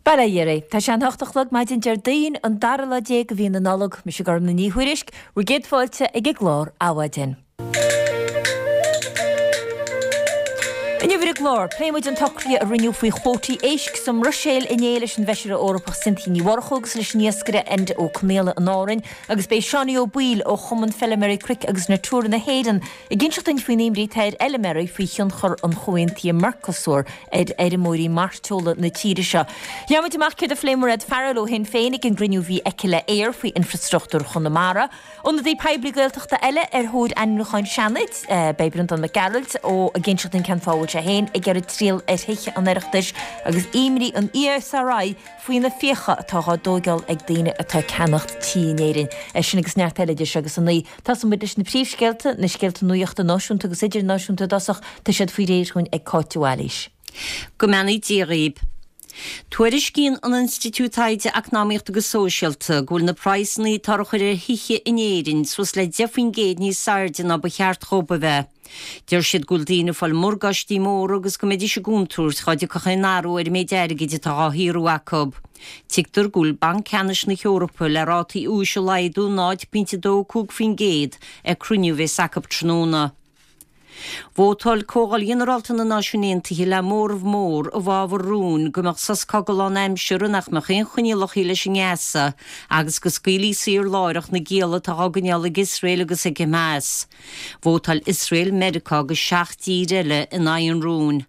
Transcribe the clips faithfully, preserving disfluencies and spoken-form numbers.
Bail ó Dhia oraibh. Tá sé an hocht a chlog maidin Déardaoin, an dara lá déag de mhí na Nollag. Mise Gormlaith Ní Thuairisg, bhur gcéad fáilte ag an gclár Adhmhaidin. Inniu ar an gclár, pléifidh muid an t-socrú a rinneadh faoi chuótaí éisc sa mBruiséil inné leis an bhFeisire Eorpach Cynthia Ní Mhurchú agus leis an iascaire Enda Ó Conaola in Árainn agus beidh Seánie Ó Baoill ó Chumann Feilméaraí Cnoic agus Natura na hÉireann ag inseacht dúinn faoin imní atá ar fheilméaraí faoi thionchar an chomhaontaithe Mercosur ar fheirmeoirí mairteola na tíre seo. Gheobhaidh muid amach céard a phléigh Mairéad Farrell ó Shinn Féin ag an gcruinniú a bhí aici le Eir faoi infreastruchtúr Chonamara. Ionadaí poiblí Gaeltachta eile ar thóir ainmniúcháin Seanaid, beidh Breandán Mac Gearailt ó ag inseacht dúinn cén fáth a bhfuil sé féin ag iarraidh triall ar thithe an Oireachtais agus imní an ESRI faoi na fiacha atá á dtóigeáil ag daoine atá ag ceannacht tí in Éirinn. É sin agus neart eile idir seo agus a naoi. Tosóidh muid leis na príomhscéalta, na scéalta nuachta náisiúnta agus idirnáisiúnta i dtosach, tá siad faoi réir dhúinn ag Cáit de Bhailís. Go mbeannaí Dia dhaoib. Tuairiscíonn an Institiúid Taighde Eacnamaíochta agus Sóisialta go bhfuil na praghsanna atá á gcur ar thithe in Éirinn suas le deich faoin gcéad níos airde ná ba cheart dhóibh a bheith. Deir siad go bhfuil daoine ag fáil morgáistí móra agus go mbeidís i gcontúirt dhá dtiocfadh aon athrú ar an méid airgid atá dhá shaothrú acu. Tuigtear go bhfuil Banc Ceannais na hEorpa le rátaí úis a laghdú náid pointe dó cúig faoin gcéad ag cruinniú a bheas acu tráthnóna. Vótáil Comhdháil Ghinearálta na Náisiún Aontaithe le móramh mór i bhfabhar rúin go mbeadh sos cogaidh lánaimseartha nach mbeadh aon choinníollacha leis i nGaza agus go scaoilfí saor láithreach na gialla atá á gcoinneáil ag Iosrael agus ag Hamas. Vótáil Iosrael, Meiriceá agus seacht dtír eile in aghaidh an rúin.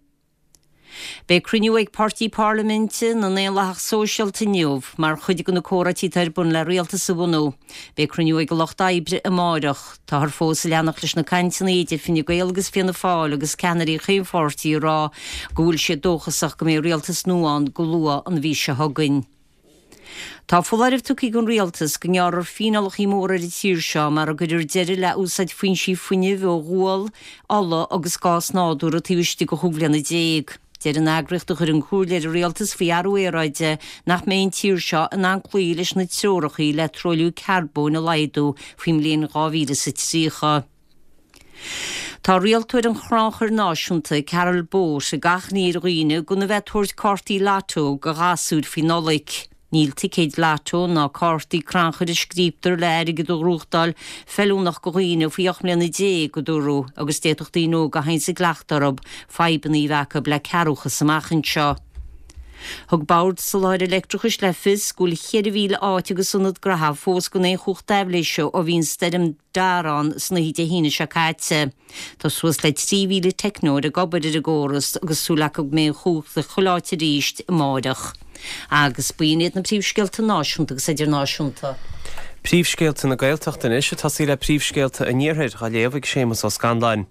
Beidh cruinniú ag Páirtí Parlaiminte na nDaonlathach Sóisialta inniu mar chuid de na comhráití atá ar bun le rialtas a bhunú. Beidh cruinniú ag an Lucht Oibre amáireach. Táthar fós ag leanacht leis na cainteanna idir Fine Gael agus Fianna Fáil agus ceannairí chaon pháirtí ag rá go bhfuil siad dóchasach go mbeidh rialtas nua ann go luath an mhí seo chugainn. Tá foláireamh tugtha ag an Rialtas go ngearrfar fíneálacha móra ar an tír seo mara gcuirfear deireadh le úsáid foinsí fuinnimh ó ghual, ola agus gás nádúrtha taobh istigh de chúig bhliana déag. Deir an eagraíocht a chuireann comhairle ar an Rialtas faoi athrú aeráide nach mbeidh an tír seo in ann cloí leis na treoracha le truailliú carbóin a laghdú faoin mbliain dhá mhíle is a tríocha. Tá rialtóir an Chrannchuir Náisiúnta, Carol Bote, ag achainí ar dhaoine gan a bheith ag tabhairt cártaí Lotto do ghasúir faoi Nollaig. Níl ticéid Lotto ná cártaí crannchuir a scríobtar le airgead a ghnóthachtáil feiliúnach do dhaoine faoi ocht mbliana déag, a dúradh, agus d'fhéadfadh daoine óga a théanns i gcleachtadh orthu fadhbanna a bheith acu le cearrbhachas amach anseo. Thug Bord Soláthair Leictreachais le fios go bhfuil cheithre mhíle áit agus ionad graithe fós gan aon chumhacht aibhléise ó bhí an stoirm Dara ann san oíche Dé hAoine seo caite. Tá suas le trí mhíle teicneoir ag obair ar an gcóras agus súil acu go mbeidh an chumhacht ag chuile áit arís amáireach. Agus b'in iad na príomhscéalta náisiúnta agus idirnáisiúnta. Príomhscéalta na Gaeltachta anois, ag tosaí le príomhscéalta an Iarthair, á léamh ag Séamus Ó Scanláin.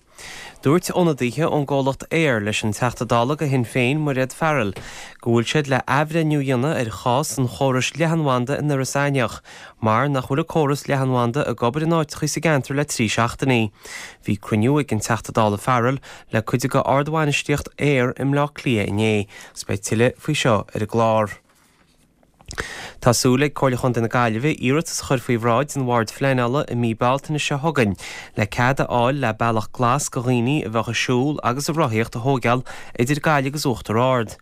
Dúirt ionadaithe ón gcomhlacht Eir leis an Teachta Dála do Shinn Féin, Mairéad Farrell, go bhfuil siad le athbhreithniú a dhéanamh ar chás an chórais leathanbhanda in Iorras Aithneach mar nach bhfuil an córas leathanbhanda ag obair in áiteachaí sa gceantar le trí seachtainí. Bhí cruinniú ag an Teachta Dála Farrell le cuid de ardbhainistíocht Eir i mBleá Cliath inné agus beidh tuilleadh faoi seo ar an gclár. Tá súil ag Comhairle Chontae na Gaillimhe iarratas a chur faoi bhráid an Bhoird Phleanála i mí Bealtaine seo chugainn le cead a fháil le bealach glas do dhaoine a bheadh ag siúl agus ag rothaíocht a thóigeáil idir Gaillimh agus Uachtar Ard.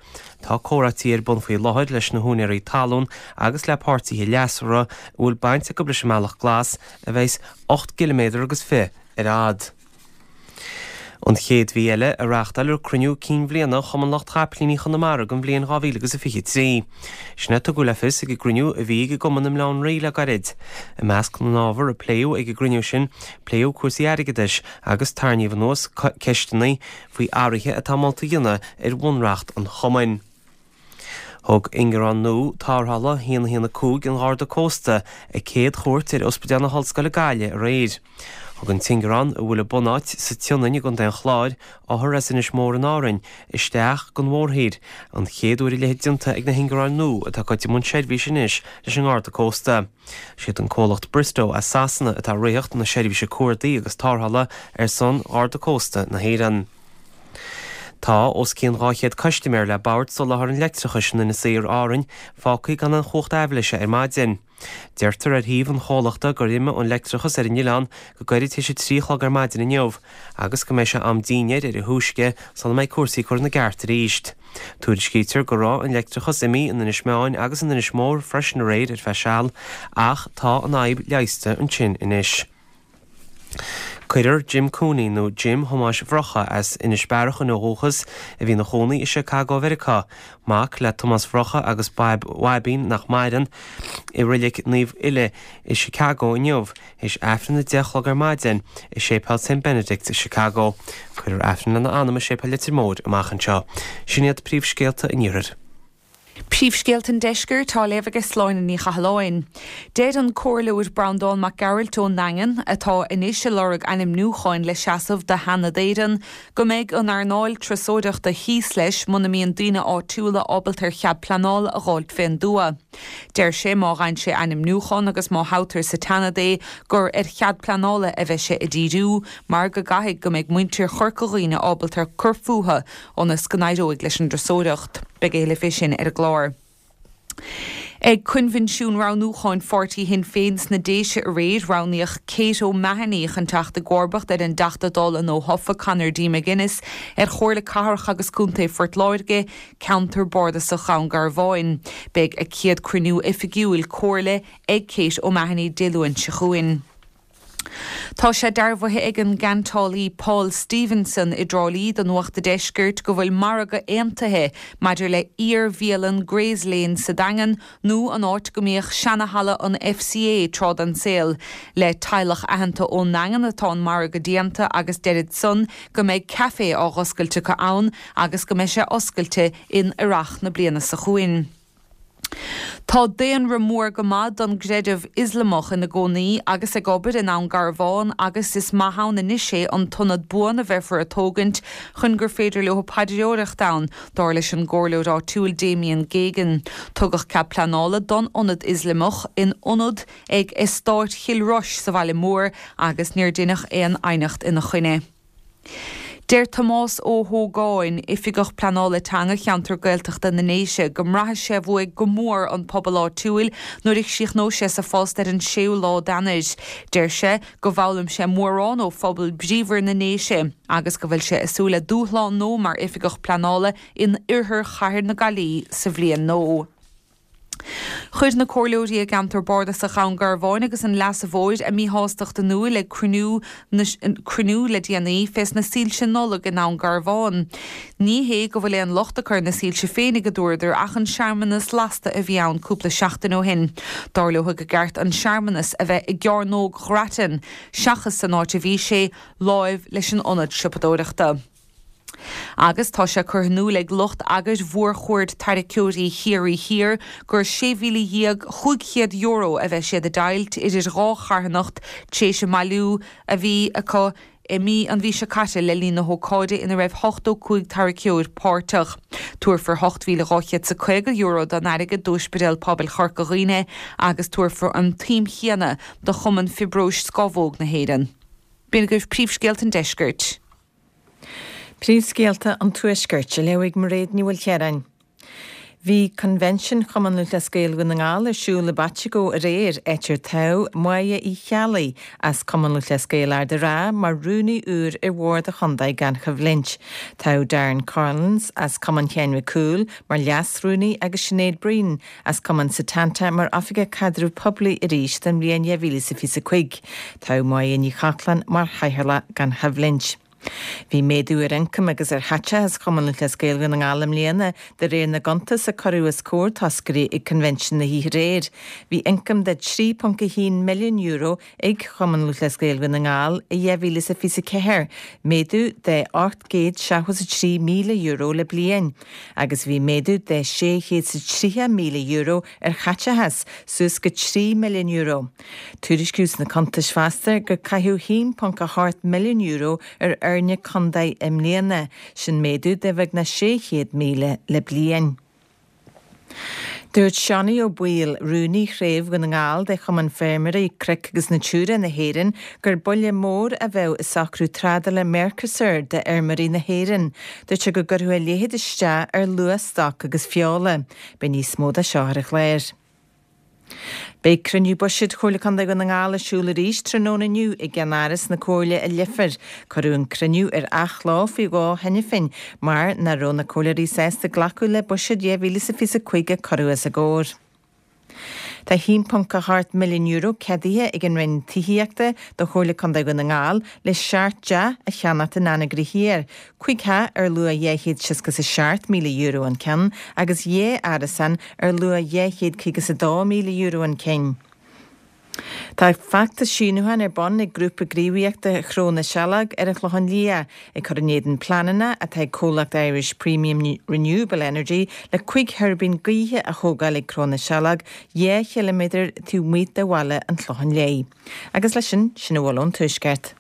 Tá comhráití ar bun faoi láthair leis na húinéirí talún agus le páirtithe leasmhara a bhfuil baint acu leis an mbealach glas a bheas ocht gciliméadar agus fiche ar fhad. An chéad mhí eile a reáchtáilfear cruinniú cinn bhliana Chumann Lucht Chapaillíní Chonamara don bhliain dhá mhíle agus a fiche trí. Sin a tugadh le fios ag an gcruinniú a bhí ag an gcumann i mBaile Átha an Rí le gairid. I measc na n-ábhar a pléadh ag an gcruinniú sin, pléadh cúrsaí airgeadais agus tarraingíodh anuas ceisteanna faoi athruithe atá molta a dhéanamh ar bhunreacht an chumainn. Thug ingearán nua tarrthála a haon a haon a cúig an Gharda Cósta a céad chuairt ar Ospidéal na hOllscoile Gaillimh aréir. Thug an t-ingearán, a bhfuil a bunáit sa tSionainn i gContae an Chláir, othair as Inis Mór in Árainn isteach don mhórthír, an chéad uair a leithéid déanta ag na hingearáin nua atá ag dul i mbun seirbhíse anois leis an nGarda Cósta. Siad an comhlacht Bristow as Sasana atá ag ritheacht na seirbhíse cuardaigh agus tarrthála ar son Gharda Cósta na hÉireann. Tá os cionn dhá chéad custaiméir le Bord Soláthair an Leictreachais in Inis Oírr, Árainn, fágtha gan aon chumhacht aibhléise ar maidin. Deirtear ar shuíomh an chomhlachta gur imigh an leictreachas ar an oileán go gairid théis a trí a chlog ar maidin inniu agus go mbeidh sé am dinnéir ar a thúisce sula mbeidh cúrsaí curtha ina gceart arís. Tuairiscítear go raibh an leictreachas imithe in Inis Meáin agus in Inis Mór freisin aréir ar feadh seal ach tá an fhadhb leigheasta ansin anois. Cuirfear Jim Cooney nó Jim Thomáis Bhrocha as Inis Bearachain ó dhúchas a bhí ina chónaí i Chicago Mheiriceá, mac le Tomás Bhrocha agus Baib Bhaibín nach maireann, i Reilig Naomh Uile i Chicago inniu, théis Aifreann a deich a chlog ar maidin i Séipéal Saint Benedict i Chicago. Cuirfear Aifreann lena anam i Séipéal Leitir Móir amach anseo. Sin iad príomhscéalta an Iarthair. Príomhscéalta an Deiscirt á léamh ag Sláine Ní Chathalláin. Deir an Comhairleoir Breandán Mac Gearailt ón nDaingean, atá anois ag lorg ainmniúcháin le seasamh do Sheanad Éireann, go mbeidh an earnáil turasóireachta thíos leis muna mbíonn daoine áitiúla ábalta ar chead pleanála a dh'fháilt fén dtuath. Deir sé má fhaigheann sé ainmniúchán agus má thoghtar sa tSeanad é gur ar chead pleanála a bheidh sé ag díriú mar go gcaithfidh go mbeidh muintir Chorca Dhuibhne ábalta cur fúthu ionas go n-éireoidh leis an dturasóireacht. Beidh a thuilleadh fé sin ar an gclár. Ag coinbhinsiún roghnúcháin pháirtí Shinn Féin sna Déise aréir, roghnaíodh Kate O'Mahony chun teacht i gcomharbacht ar an dTeachta Dála nuathofa Conor D McGuinness ar Chomhairle Cathrach agus Contae Phort Láirge, ceantar bardasach Dhún Garbháin. Beidh a céad cruinniú oifigiúil comhairle ag Kate O'Mahony Dé Luain seo chugainn. Tá sé dearbhaithe ag an gceantálaí Paul Stevenson i dTrá Lí do Nuacht an Deiscirt go bhfuil margadh aontaithe maidir le iar-bhialann Gray's Lane sa Daingean nó an áit go mbíodh seanahalla an FCA tráth den saol. Le teaghlach aitheanta ón nDaingean atá an margadh déanta agus deirid san go mbeidh caife á dh'oscailt acu ann agus go mbeidh sé oscailte in earrach na bliana seo chugainn. Tá daonra mór go maith don gcreideamh Ioslamach ina gcónaí agus ag obair i nDún Garbhán agus is maith ann anois é an t-ionad buan a bheifear ag tógaint chun gur féidir leo paidreoireacht ann, dar leis an gcomhairleoir áitiúil Damien Geoghegan. Tugadh cead pleanála don ionad Ioslamach in ionad ag Eastát Chill Rois sa bhaile mór agus níor deineadh aon aighneacht ina choinne. Deir Tomás Ó hÓgáin, Oifigeach Pleanála Teanga Cheantar Gaeltachta na nDéise, go mbraithfidh sé uaidh go mór an pobal áitiúil nuair a chríochnóidh sé sa phost ar an séú lá d'Eanáir. Deir sé go bhfoghlaim sé mórán ó phobal bríomhar na nDéise agus go bhfuil sé ag súil le dúshlán nua mar Oifigeach Pleanála in oirthear chathair na Gaillimhe sa bhliain nua. Chuir na comhairleoirí i gceantar bardasach Dhún Garbháin agus an Leasa Mhóir a míshástacht in iúl ag cruinniú cruinniú le déanaí fés na soilse Nollag i nDún Garbhán. Ní hé go bhfuil aon locht acu ar na soilse féinig a dúradar ach an searmanas lasta a bhí ann cúpla seachtain ó shin. Dar leo gur cheart an searmanas a bheith i gCearnóg Ghrattan seachas san áit a bhí sé láimh leis an ionad siopadóireachta. Agus tá sé curtha in iúl ag lucht eagair mhórchuaird tarraiceoirí Chiarraí Thiar gur sé mhíle dhéag chúig chéad euro a bheidh siad ag deighilt idir dhá charthanacht tar éis an mbailiú a bhí acu i mí an mhí seo caite le linn na hócáide ina raibh ochtó cúig tarraiceoir páirteach. Tabharfar ocht mhíle dhá chéad is a caoga euro den airgead d'Ospidéal Pobail Chorca Dhuibhne agus tabharfar an tsuim chéanna do Chumann Fiobróis Scamhóg na hÉireann. B'in agaibh príomhscéalta an Deiscirt. Príomhscéalta an Tuaiscirt á léamh ag Mairéad Ní Mhaoilchiaráin. Bhí Convention Chumann Lúthchleas Gael Dhún na nGall ar siúl i bPaiteagó aréir, áit ar toghadh Máire Uí Cheallaigh as Cumann Lúthchleas Gael Ard an Rátha mar rúnaí úr ar bhord an chontae gan choimhlint. Toghadh Darren Collins as Cumann Sheáin Mhic Cumhaill mar leas-rúnaí agus Sinéad Breen as Cumann Setanta mar oifigeach caidreamh poiblí arís don bhliain dhá mhíle is a fiche cúig. Toghadh Máire Ní Chochláin mar chathaoirleach gan choimhlint. Bhí méadú ar ioncam agus ar chaiteachas Chumann Lúthchleas Gael Dhún na nGall i mbliana de réir na gcuntas a cuireadh os comhair toscairí ag Convention na hoíche aréir. Bhí ioncam de trí ponc a haon milliún euro ag Chumann Lúthchleas Gael Dhún na nGall i dhá mhíle is a fiche ceathair, méadú de ocht gcéad seachtó is a trí míle euro le bliain, agus bhí méadú de sé chéad is tríocha míle euro ar chaiteachas suas go trí milliún euro. Tuairiscíodh sna cuntais fosta gur caitheadh haon ponc a hocht milliún euro ar fhoirne contae i mbliana, sin méadú de bheagnach sé chéad míle le bliain. Dúirt Seánie Ó Baoill, rúnaí Chraobh Dhún na nGall de Chumann Feirmeoirí Cnoic agus Natura na hÉireann, gur buille mór a bheadh i socrú trádála Mercosur d'fheirmeoirí na hÉireann. Dúirt sé go gcuirfeadh a leithéid isteach ar luach stoc agus feola. Beidh níos mó de seo ar an chlár. Beidh cruinniú buiséid Chomhairle Contae Dhún na nGall ar siúl arís tráthnóna inniu i gceannáras na Comhairle i Leifear. Cuireadh an cruinniú ar athló faoi dhó cheana féin mar nach raibh na comhairleoirí sásta glacadh le buiséad dhá mhíle is a fiche a cúig a cuireadh os a gcomhair. Tá a haon ponc a hocht milliún euro ceadaithe ag an Roinn Tithíochta do Chomhairle Contae Dhún na nGall le seacht dteach a cheannacht in Anagaire Thiar, cúig theach ar luach dhá chéad seasca is a seacht míle euro an ceann agus dhá árasán ar luach dhá chéad caoga is a dó míle euro an cinn. Tá feachtas síniúcháin ar bun ag Grúpa Gníomhaíochta Chró na Saileog ar an Chlochán Liath, ag cur in éadan pleananna atá ag comhlacht Irish Premium Renewable Energy le cúig thuirbín gaoithe a thógáil ag Cró na Saileog, dhá chiliméadar taobh amuigh de bhaile an Chlocháin Léith. Agus leis sin, sin a bhfuil ón Tuaisceart.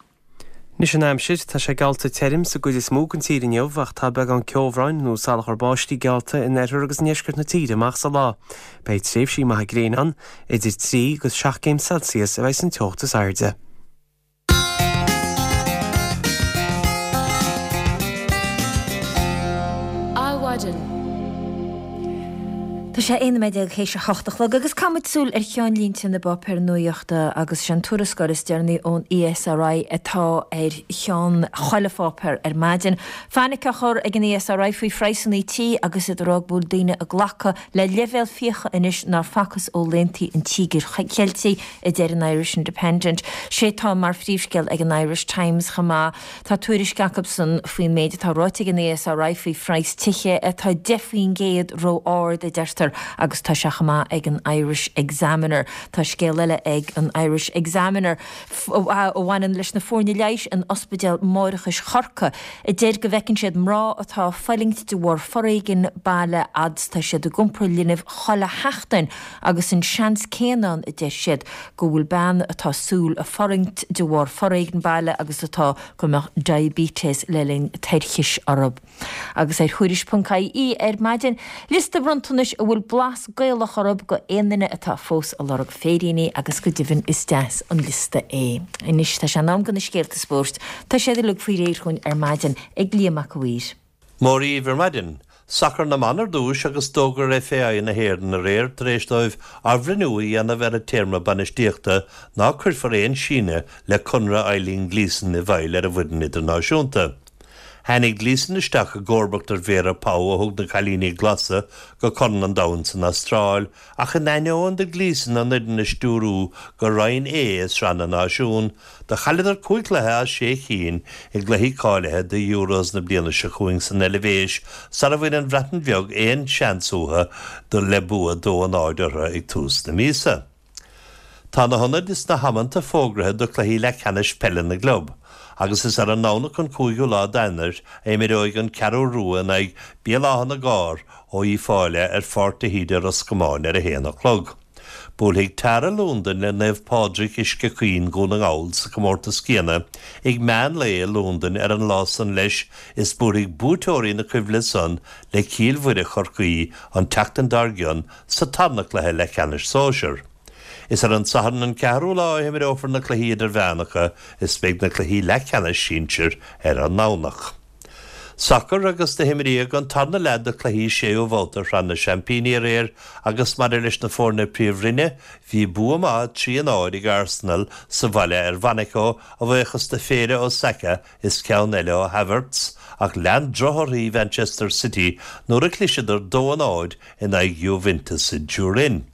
Anois an aimsir, tá sé geallta tirim sa gcuid is mó den tír inniu ach tá beagán ceobhráin nó salachar báistí geallta in oirthear agus i ndeisceart na tíre amach sa lá. Beidh tréimhsí maithe gréine ann, idir trí agus seacht gcéim Celsius a bheidh an teocht is airde. Adhmhaidin. Tá sé aon nóiméad déag théis a hocht a chlog agus caithfimid súil ar cheannlínte na bpáipéar nuachta agus sin tuarascáil is deireanaí ón ESRI atá ar cheann chuile pháipéar ar maidin. Fainic á chur ag an ESRI faoi phraghsanna tí agus iad ag rá go bhfuil daoine ag glacadh le leibhéal fiacha anois nár facthas ó laethanta an Tíogair Cheiltigh, a deir an Irish Independent. Sé atá mar phríomhscéal ag an Irish Times chomh maith. Tá tuairisc acusan faoin méid atá ráite ag an ESRI faoi phraghas tithe atá deich faoin gcéad ró-ard, a deirtear. Agus tá sé chomh maith ag an Irish Examiner. Tá scéal eile ag an Irish Examiner a bhaineann leis na foirne leighis in Ospidéal Máithreachais Chorcaí, a deir go bhfeiceann siad mná atá ag fulaingt de bharr foréigean baile fhad is tá siad ag iompar linbh chuile sheachtain agus an seans céanna ann, a deir siad, go bhfuil bean atá súil ag fulaingt de bharr foréigean baile agus atá go mbeadh diabetes le linn toirchis orthu. Agus ar Thuairisc ponc IE ar maidin, liosta bronntanais a bhfuil blas Gaelach orthu go aon duine atá fós ag lorg féiríní agus go deimhin is deas an liosta é. Anois tá sé in am do na scéalta spóirt. Tá siad uilig faoi réir chugainn ar maidin ag Liam Mac a' Mhaoir. Mora dhaoibh ar maidin. Sacar na mban ar dtús agus d'fhógair FAI na hÉireann aréir tar éis dóibh athbhreithniú a dhéanamh ar a téarma bainistíochta ná cuirfear aon síneadh le conradh Eileen Gleeson i bhfeighil ar an bhfoireann idirnáisiúnta. Tháinig Gleeson isteach i gcomharbacht ar Vera Pauw a thug na Cailíní Glasa go Corn an Domhain san Astráil, ach in ainneoin do Gleeson an fhoireann a stiúrú go Roinn A i Sraith na Náisiún, do chailleadar cúig chluiche as sé chinn i gcluichí cáilithe do Euros na bliana seo chugainn san Eilvéis sara bhain an Bhreatain Bheag aon seans uathu do le bua dó a náid orthu ag tús na míosa. Tá na hionaid is na hamanta fógraithe do chluichí leathcheannais peile na gclub, agus is ar an nDomhnach an cúigiú lá d'Eanáir a imreoidh an Ceathrú Rua in aghaidh Béal Átha na gCarr ó Uíbh Fhailí ar Pháirc de hÍde Ros Comáin ar a haon a chlog. Buailfidh Tara Londain le Naomh Pádraig Uisce Chaoin Dhún na nGall sa chomórtas céanna ag meán lae i Londain ar an lá san leis is buailfidh buaiteoirí na coimhle san le Cill Mhuire Chorcaí an tseachtain dár gcionn sa tarna cluiche leathcheannais sóisir. Is ar an Satharn an ceathrú lá a himreofar na cluichí idirmheánacha is beidh na cluichí leathcheannais sinsir ar an nDomhnach. Sacar agus do himríodh an tarna leath de chluichí séú babhta Shraith na Seaimpíní aréir agus maidir leis na foirne Príomhroinne bhí bua maith trí a náid ag Arsenal sa bhaile ar Mhonaco a bhuíochas do phéire ó Saka is ceann eile ó Havertz ach lean drochthorthaí Manchester City nuair a chliseadar dó a náid in aghaidh Juventus i dTurin.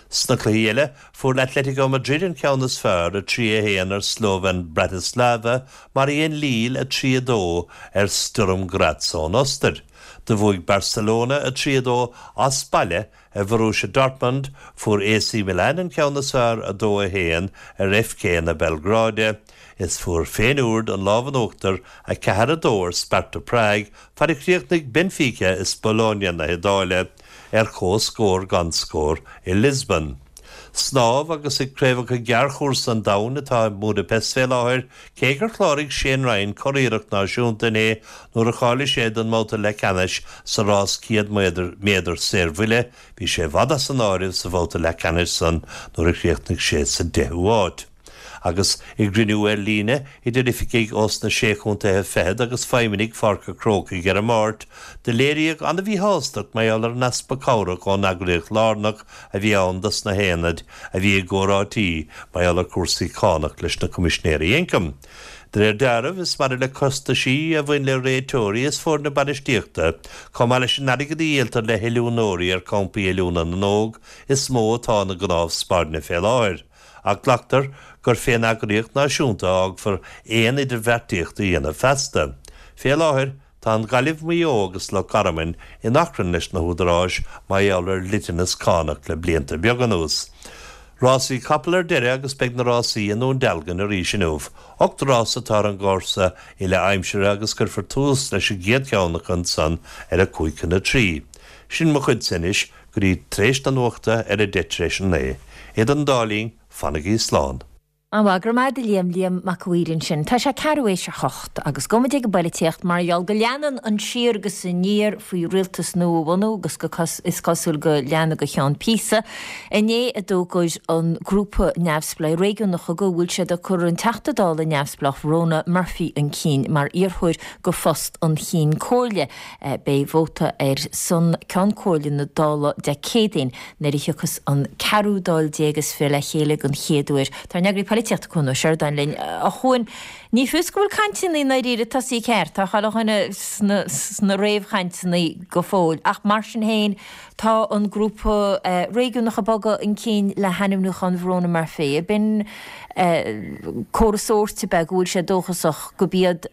Sna cluichí eile, fuair Atletico Madrid an ceann is fearr, a trí a haon ar Slovan Bratislava, mar a dhein Lille a trí a dó ar Sturm Graz ón Ostair. Do bhuaigh Barcelona a trí a dó as baile ar Bhorussia Dortmund, fuair AC Milan an ceann is fearr a dó a haon ar FK na Belgráide, is fuair Feyenoord an lámh in uachtar a ceathair a dó ar Sparta Prague, fad a chríochnaigh Benfica is Bologna na hIodáile ar comhscór gan scór i Lisbon. Snámh agus ag Craobhacha Gearrchúrsa an Domhain atá i mBudapest fé láthair, cé gur chláraigh Shane Ryan curiarracht náisiúnta inné nuair a cháiligh sé don mbabhta leathcheannais sa rás céad méadar saorbhuille, bhí sé i bhfad as an áireamh sa bhabhta leathcheannais san nuair a chríochnaigh sé sa deichiú háit. Agus i gcruinniú ar líne idir oifigigh ós na Sé Chontaetha Fichead agus feidhmeannaigh Pháirc an Chrócaigh ar an Máirt, do léiríodh an-mhíshástacht mar gheall ar an easpa cabhrach ón eagraíocht lárnach a bhí ann dos na haonaid a bhí i gcomhráití mar gheall ar chúrsaí cánach leis na Coimisinéirí Ioncaim. De réir dealraimh, is maidir le costaisí a bhain le réiteoirí is foirne bainistíochta, chomh maith leis an airgead a dhíoltar le hoiliúnóirí ar champaí oiliúna na n-óg, is mó atá na gnámha spairne fé láthair. Ach glactar gur fén eagraíocht náisiúnta a fhágfar aon idirbheartaíocht a dhéanamh feasta. Fé láthair, tá an Ghaillimh, Maigh Eo agus Loch Garman in achrann leis na húdaráis mar gheall ar dhliteanas cánach le blianta beaga anuas. Rásaí capall ar deireadh agus beidh na rásaí i nDún Dealgan arís inniu. Ocht rás atá ar an gcúrsa uile aimsire agus cuirfear tús leis an gcéad cheann acu ansan ar a cúig chun a trí. Sin mo chuidse anois go dtí tar éis na nuachta ar a deich tar éis a naoi. Idir an dá linn, fanaigí slán. An-mhaith, go raibh maith agat a Liam, Liam Mac a' Mhaoir ansin. Tá sé ceathrú éis a hocht agus gabhfaidh muid ag an bpoilitíocht mar gheall go leanann an siar agus aniar faoi rialtas nua a bhunú agus go is cosúil go leanfaidh go ceann píosa. Inné a d'fhógair an grúpa neamhspleách réigiúnacha go bhfuil siad ag cur an Teachta Dála neamhspleách Verona Murphy chun cinn mar iarrthóir go phost an Chinn Comhairle. Beidh vóta ar son Ceann Comhairle na Dála Dé Céadaoin nuair a thiocfas an ceathrú Dáil déag is fiche le chéile den chéad uair. Tá ár n-eagraí polaitíochta Cuan Ó Seireadáin linn. A Chuain, ní fios go bhfuil cainteanna i ndáiríre tosaithe ceart, tá chuile dhuine sna, sna réamhchainteanna go fóill, ach mar sin féin tá an grúpa réigiúnach ag bogadh chun cinn le hainmniúchán Verona Murphy. B'in comhartha sóirt ab ea go bhfuil sé dóchasach go b'iad,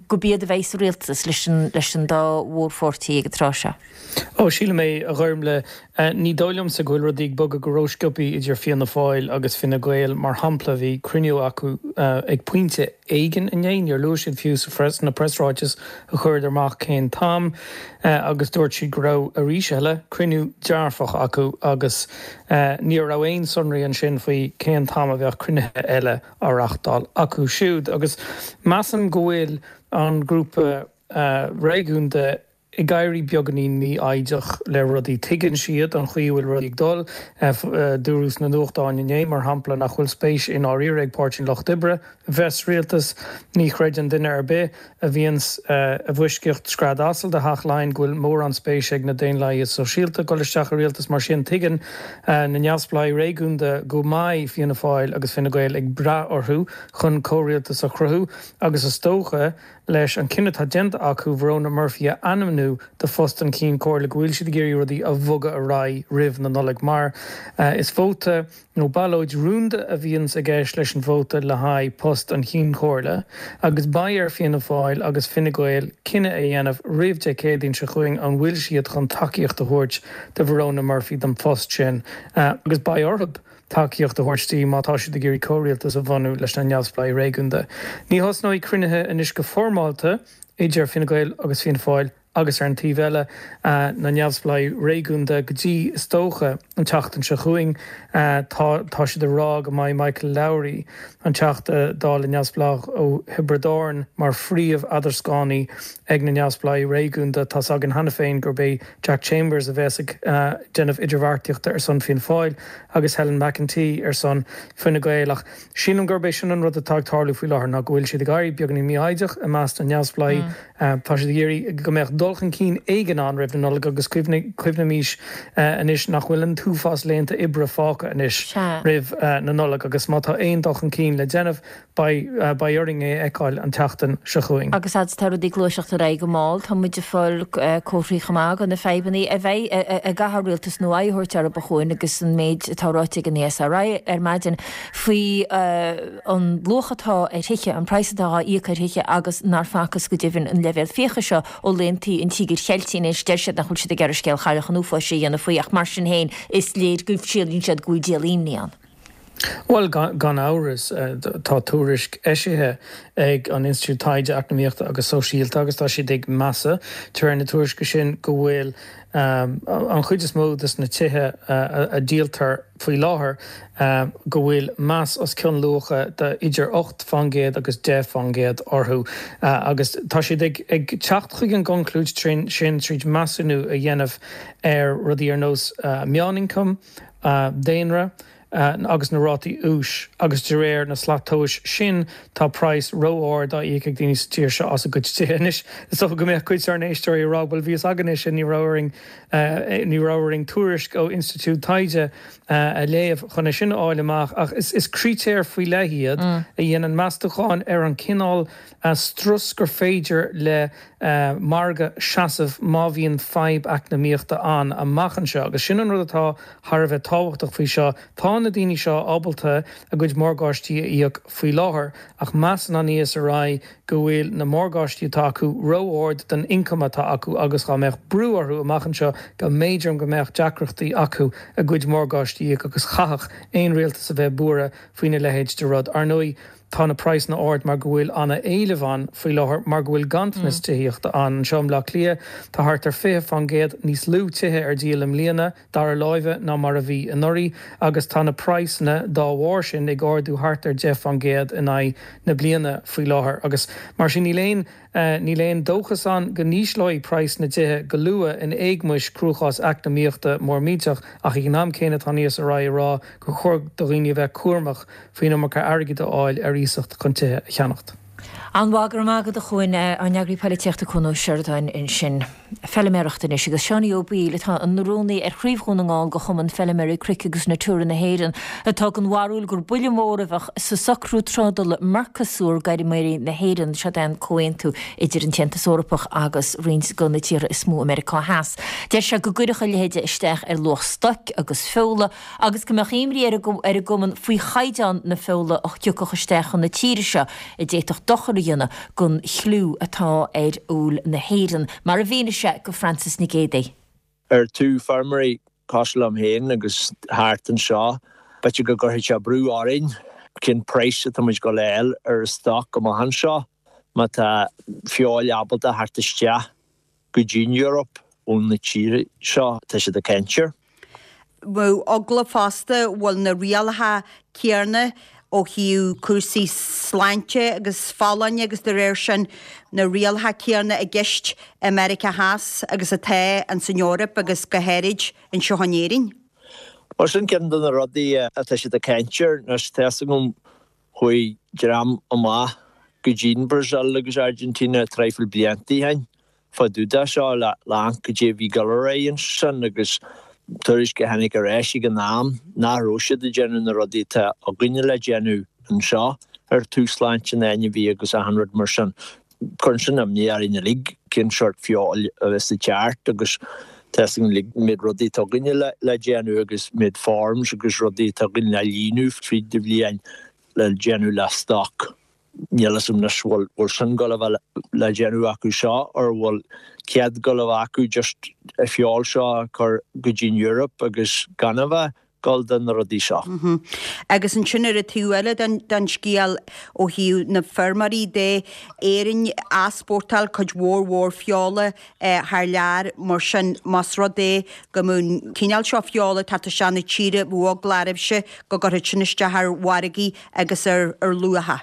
go b'iad a bheidh sa rialtas leis an, leis an dá mhórpháirtí ag an tráth seo. Ó, sílim é, a Ghormfhlaith. Ní dóigh liomsa go bhfuil rudaí ag bogadh go rósciobtha idir Fianna Fáil agus Fine Gael. Mar shampla, bhí cruinniú acu ag pointe éigin inné, níor luaigh siad fiú sna preasráitis a chuireadar amach cén t-am, agus dúirt siad go raibh, arís eile, cruinniú dearfach acu agus ní raibh aon sonraí ansin faoi cén t-am a bheadh cruinnithe eile á reáchtáil acu siúd. Agus measaim go bhfuil an grúpa réigiúnda ag éirí beagáinín mífhoighdeach le rudaí. Tuigeann siad an chaoi a bhfuil rudaí ag dul. Dúradh sna nuachtáin inné, mar shampla, nach bhfuil spéis i ndáiríre ag Páirtí an Lucht Oibre a bheith sa rialtas. Ní chreideann duine ar bith a bhíonns i bhfoisceacht scread asail do Theach Laighean go bhfuil mórán spéise ag na Daonlathaithe Sóisialta dul isteach i rialtas. Mar sin, tuigeann na neamhspleáigh réigiúnda go mbeidh Fianna Fáil agus Fine Gael ag brath orthu chun comhrialtas a chruthú agus is dócha, leis an cinneadh atá déanta acu Verona Murphy a ainmniú do phost an Chinn Comhairle go bhfuil siad ag iarraidh rudaí a bhogadh ar aghaidh roimh na Nollag mar is vóta nó ballóid rúnda a bhíonns i gceist leis an vóta le haghaidh post an Chinn Chomhairle agus beidh ar Fianna Fáil agus Fine Gael cinneadh a dhéanamh roimh Dé Céadaoin seo chugainn an bhfuil siad chun tacaíocht a thabhairt do Verona Murphy don phost sin agus beidh orthu tacaíocht a thabhairt di má tá siad ag iarraidh comhrialtas a bhunú leis na neamhspleáigh réigiúnda. Ní thosnóidh cruinnithe anois go foirmeálta idir Fine Gael agus Fianna Fáil agus ar an taobh eile na neamhspleáigh réigiúnda go dtí, is dócha, an tseachtain seo chugainn. Tá tá siad ag rá go mbeidh Michael Lowry, an Teachta Dála neamhspleách ó Thiobraid Árann, mar phríomh-eadarscánaí ag na neamhspleáigh réigiúnda. Tá's againn cheana féin gurb é Jack Chambers a bheas ag déanamh idirbheartaíochta ar son Fianna Fáil agus Helen McEntee ar son Fine Gael ach sílim gurb é sin an rud atá ag tarlú faoi láthair ná go bhfuil siad ag éirí beagáinín mífhoighdeach i measc na neamhspleáigh. Tá siad ag iarraidh go mbeadh dul chun cinn éigin ann roimh na Nollag agus cuimhnímis anois nach bhfuil an t-uafás laethanta oibre fágtha anois roimh na Nollag agus má tá aon dul chun cinn le déanamh Beidh, beidh orainn é a fheiceáil an tseachtain seo chugainn. Agus fhad is atá rudaí ag gluaiseacht ar aghaidh go mall, tá muid ag fáil comharthaí chomh maith de na fadhbanna a bheidh ag gcaithfear rialtas nua aghaidh a thabhairt orthu a Chuain agus an méid atá ráite ag an ESRI ar maidin faoi an luach atá ar thithe, an praghas atá á íoc ar thithe agus nár facthas go deimhin an leibhéal fiacha seo ó laethanta an Tíogair Cheiltigh. Anois deir siad nach bhfuil siad ag iarraidh scéal Chailleach an Uafáis a dhéanamh faoi ach mar sin féin is léir go síleann siad go bhfuil díol imní ann. Bhuel, gan amhras, tá tuairisc eisithe ag an Institiúid Taighde Eacnamaíochta agus Sóisialta agus tá siad ag measadh, de réir na tuairisce sin, go bhfuil an chuid is mó de na tithe a dhíoltar faoi láthair, go bhfuil meas os cionn luacha de idir ocht faoin gcéad agus deich faoin gcéad orthu agus tá siad ag teacht chuig an gconclúid sin tríd measúnú a dhéanamh ar rudaí ar nós meánioncam, daonra, agus na rátaí úis agus de réir na slat tomhais sin tá praghas ró-ard á íoc ag daoine sa tír seo as a gcuid tithe. Anois is dócha go mbeadh cuid dár n-éisteoirí ag rá bhuel bhí a fhios againn é sin ní raibh orainn ní raibh orainn tuairisc ó institiúid taighde a léamh chun é sin a fháil amach ach is is critéir faoi leith iad a dhéanann meastachán ar an cineál strus gur féidir le margadh seasamh má bhíonn fadhb eacnamaíochta ann amach anseo. Agus sin an rud atá thar a bheith tábhachtach faoi seo, tá na daoine seo ábalta a gcuid morgáistí a íoc faoi láthair, ach measann an ESRI go bhfuil na morgáistí atá acu ró-ard don ioncam atá acu agus dá mbeadh brú orthu amach anseo go mb'fhéidir go mbeadh deacrachtaí acu a gcuid morgáistí a íoc agus chaithfeadh aon rialtas a bheith buartha faoina leithéid de rud. Ar ndóigh, tá na praghsanna ard mar go bhfuil an-éileamh ann faoi láthair mar go bhfuil ganntanas tithíochta ann. Anseo i mBleá Cliath, tá thart ar fiche fán gcéad níos lú tithe ar díol i mbliana, dara láimhe, ná mar a bhí anuraidh agus tá na praghsanna dá bharr sin ag ardú thart ar deich fán gcéad in aghaidh na bliana faoi láthair agus mar sin níl aon Níl aon dóchas ann go n-ísleoidh praghas na dtithe go luath in éagmais cruachás eacnamaíochta mór millteach ach ag an am céanna tá an ESRI ag rá gur chóir do dhaoine a bheith cúramach faoin iomarca airgid a fháil ar iasacht chun tithe a cheannacht. An-mhaith, go raibh maith agat a Chuain, ár n-eagraí poilitíochta Cuan Ó Seireadáin ansin. Feiliméireacht anois agus Seánie Ó Baoill atá ina rúnaí ar Chraobh Dhún na nGall de Chumann Feiliméaraí Cnoic agus Natura na hÉireann atá den bharúil gur buille mór a bheadh sa socrú trádála Mercosur d'fheirmeoirí na hÉireann. Seo é an comhaontú idir an tAontas Eorpach agus roinnt de na tíortha is mó i Meiriceá Theas. Deir sé go gcuirfeadh a leithéide isteach ar luach stoic agus feola agus go mbeadh imní ar an gcumann faoi chaighdeán na feola a thiocfadh isteach chun na tíre seo a d'fhéadfadh dochar a dhéanamh don chliú atá ar fheoil na hÉireann, mar a mhínigh sé go Frances Nic Géadaigh. Ar taobh feirmeoirí cosúil liom féin agus thart anseo, b'fhéidir go gcuirfidh sé brú orainn cén praghas atá muid ag dul a fháil ar an stoc amach anseo má tá feoil ábalta theacht isteach go dtí an Eoraip ó na tíortha seo atá siad ag caint air. Bheadh eagla fosta bhfuil na rialacha céanna ó thaobh cúrsaí sláinte agus folláine agus de réir sin na rialacha céanna i gceist i Meiriceá Theas agus atá ins an Eoraip agus go háirid anseo in Éirinn. Mar sin ceann de na rudaí atá siad ag caint air anois tá fhios agam chuaigh dream amach go dtí an Brazil agus Argentina traidhfil blianta ó shin fá dtaobh de seo le amharc cad é a bhí ag dul ar aghaidh ansin agus tuairisc a tháinig ar ais ag an am nach raibh siad ag déanamh na rudaí atá againne le déanamh anseo ar taobh sláinte na n-ainmhí agus achan rud mar sin. Cuireann sin imní orainn uilig cén sórt feoil a bheas ag teacht agus tá fhios againn uilig an méid rudaí atá againne le déanamh agus an méid forms agus rudaí atá againn le líonadh fríd an bhliain le déanamh le stoc. Níl fhios agam anois bhfuil bhfuil sin ag dul a bheith le déanamh acu seo or bhfuil cead ag dul a bheith acu just an feoil seo a chur go dtí an Europe agus gan a bheith dul do na rudaí seo. Agus ansin ar an taobh eile den scéal ó thaobh na feirmeoirí de, Éirinn ag easpórtáil cuid mhór mhór feola thar lear, mar sin más rud é go mbeadh an cineál seo feola ag teacht isteach na tíre, bheadh eagla oraibhse go gcuirfeadh sin isteach ar mhargaí agus ar luacha.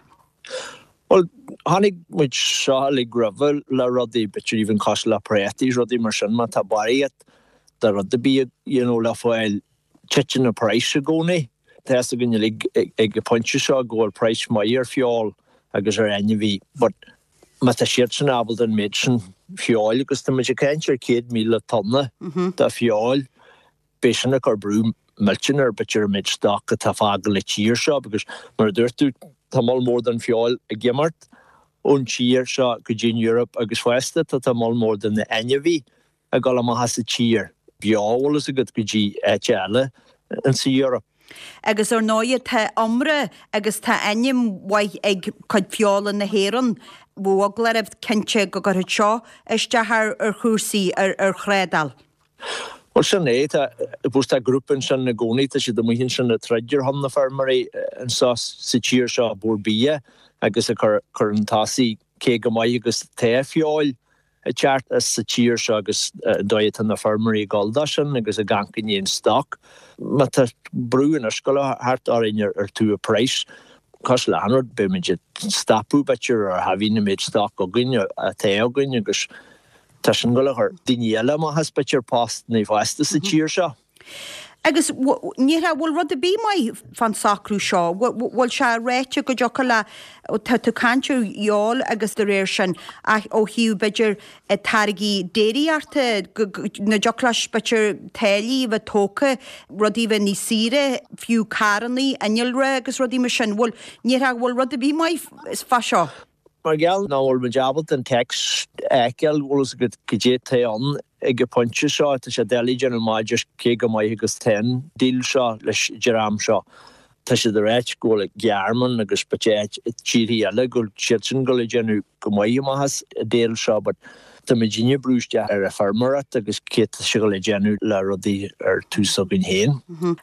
Bhuel, chonaic muid seo uilig roimhe le rudaí, b'fhéidir even cosúil le préataí is rudaí mar sin, má tá barraíocht de rud ar bith you know le fáil, titeann an praghas i gcónaí. Tá fhios againn uilig ag an pointe seo go bhfuil praghas maith ar feoil agus ar ainmhí but má tá siadsan ábalta an méid sin feoil agus tá muid ag caint ar céad míle tonna de feoil, beidh sin ag cur brú millteanach ar b'fhéidir an méid stoc atá fágtha le tír seo because mar a dúirt tú tá moll mór den feoil ag imeacht ón tír seo go dtí an Europe agus fosta tá tá moll mór de na ainmhí ag dul amach as an tír beo bhfuil fhios agat go dtí áit eile insa Europe. Agus ar ndóighe tá iomrá agus tá ainm mhaith ag cuid feola na hÉireann. Bheadh eagla oraibh cinnte go gcuirfeadh seo isteach ar chúrsaí, ar thrádáil. Bhuel sin é, tá, bhuel tá grúpa ansin i gcónaí, tá siad amuigh ansin ag troid ar shon na feirmeoirí anseo sa tír seo, Bord Bia agus ag cur chun tosaigh cé chomh maith agus atá feoil ag teacht as sa tír seo agus an dóigh atá na feirmeoirí ag dul dó sin agus ag amharc i ndiaidh an stoc. Má tá brú anois ag dul a theacht orainn ar taobh an price, cosúil le achan rud, beidh muid ag stopadh b'fhéidir ar thaobh na méid stoc againn atá againn agus Tá sin ag dul a chur daoine eile amach as b'fhéidir postanna fosta sa tír seo. Agus ní bhfuil rud ar bith maith fán socrú seo, bhfuil sé ráite go dtiocfadh le, tá tú ag caint ar fheoil agus de réir sin ach ó thaobh b'fhéidir táirgí déiríochta, nach dtiocfadh leis b'fhéidir táillí a bheith tógtha, rudaí a bheith níos saoire, fiú carrannaí, innealra agus rudaí mar sin, bhfuil, ní bhfuil rud ar bith maith fá seo? Mar gheall nach bhfuil muid ábalta an téacs a fheiceáil, bhfuil fhios agat goidé atá ann ag an bpointe seo, tá sé doiligh déanamh amach just cé chomh maith agus atá an deal seo leis an dream seo. Tá siad ag ráit go bhfuil an Ghearmáin agus b'fhéidir tíortha eile go bhfuil siadsan ag dul ag déanamh go maith amach as an deal seo but tá muidinne ag brú isteach ar an feirmeoireacht agus cé tá sé ag dul a dhéanamh le rudaí ar tús againn féin.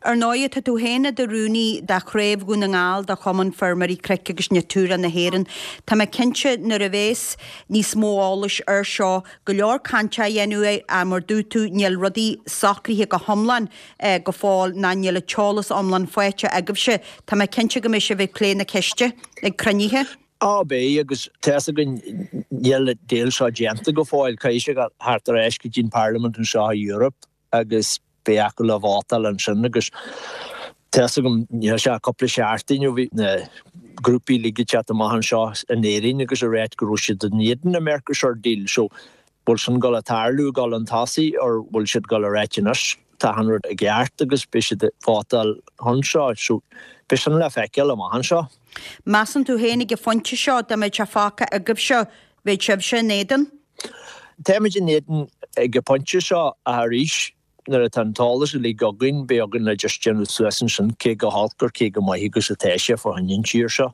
Ar ndóigh, tá tú féin i do rúnaí de Chraobh Dhún na nGall de Chumann Feirmeoirí Cnoic agus Natura na hÉireann. Tá mé cinnte nuair a bhéas níos mó eolais air seo, go leor cainte á dhéanamh air ach mar dúirt tú níl rudaí socraithe go hiomlán go fóill ná níl an t-eolas iomlán faighte agaibhse. Tá mé cinnte go mbeidh sibh ag plé na ceiste ag cruinnithe. Á beidh, agus tá fhios againn níl an deal seo déanta go fóill, caithfidh sé dul thart ar ais go dtí an Parliament anseo i Europe agus beidh acu le vótáil ansin agus tá fhios agam níl sé ach cúpla seachtain ó bhí na grúpaí uilig ag teacht amach anseo in Éirinn agus ag ráit go raibh siad in éadan an Mercosur deal so bhfuil sin ag dul a tarlú ag dul chun tosaigh or bhfuil siad ag dul a ráit anois tá an rud i gceart agus beidh siad ag vótáil chun seo so beidh sin le feiceáil amach anseo. Measann tú féin ag an phointe seo dá mbeadh sé fágtha agaibhse, bheadh sibhse in éadan? Táimid in éadan ag an phointe seo ach arís nuair atá an t-eolas uilig againn beidh againn le just déanamh suas ansin cé chomh holc or cé chomh maith agus atá sé fá choinne an tír seo.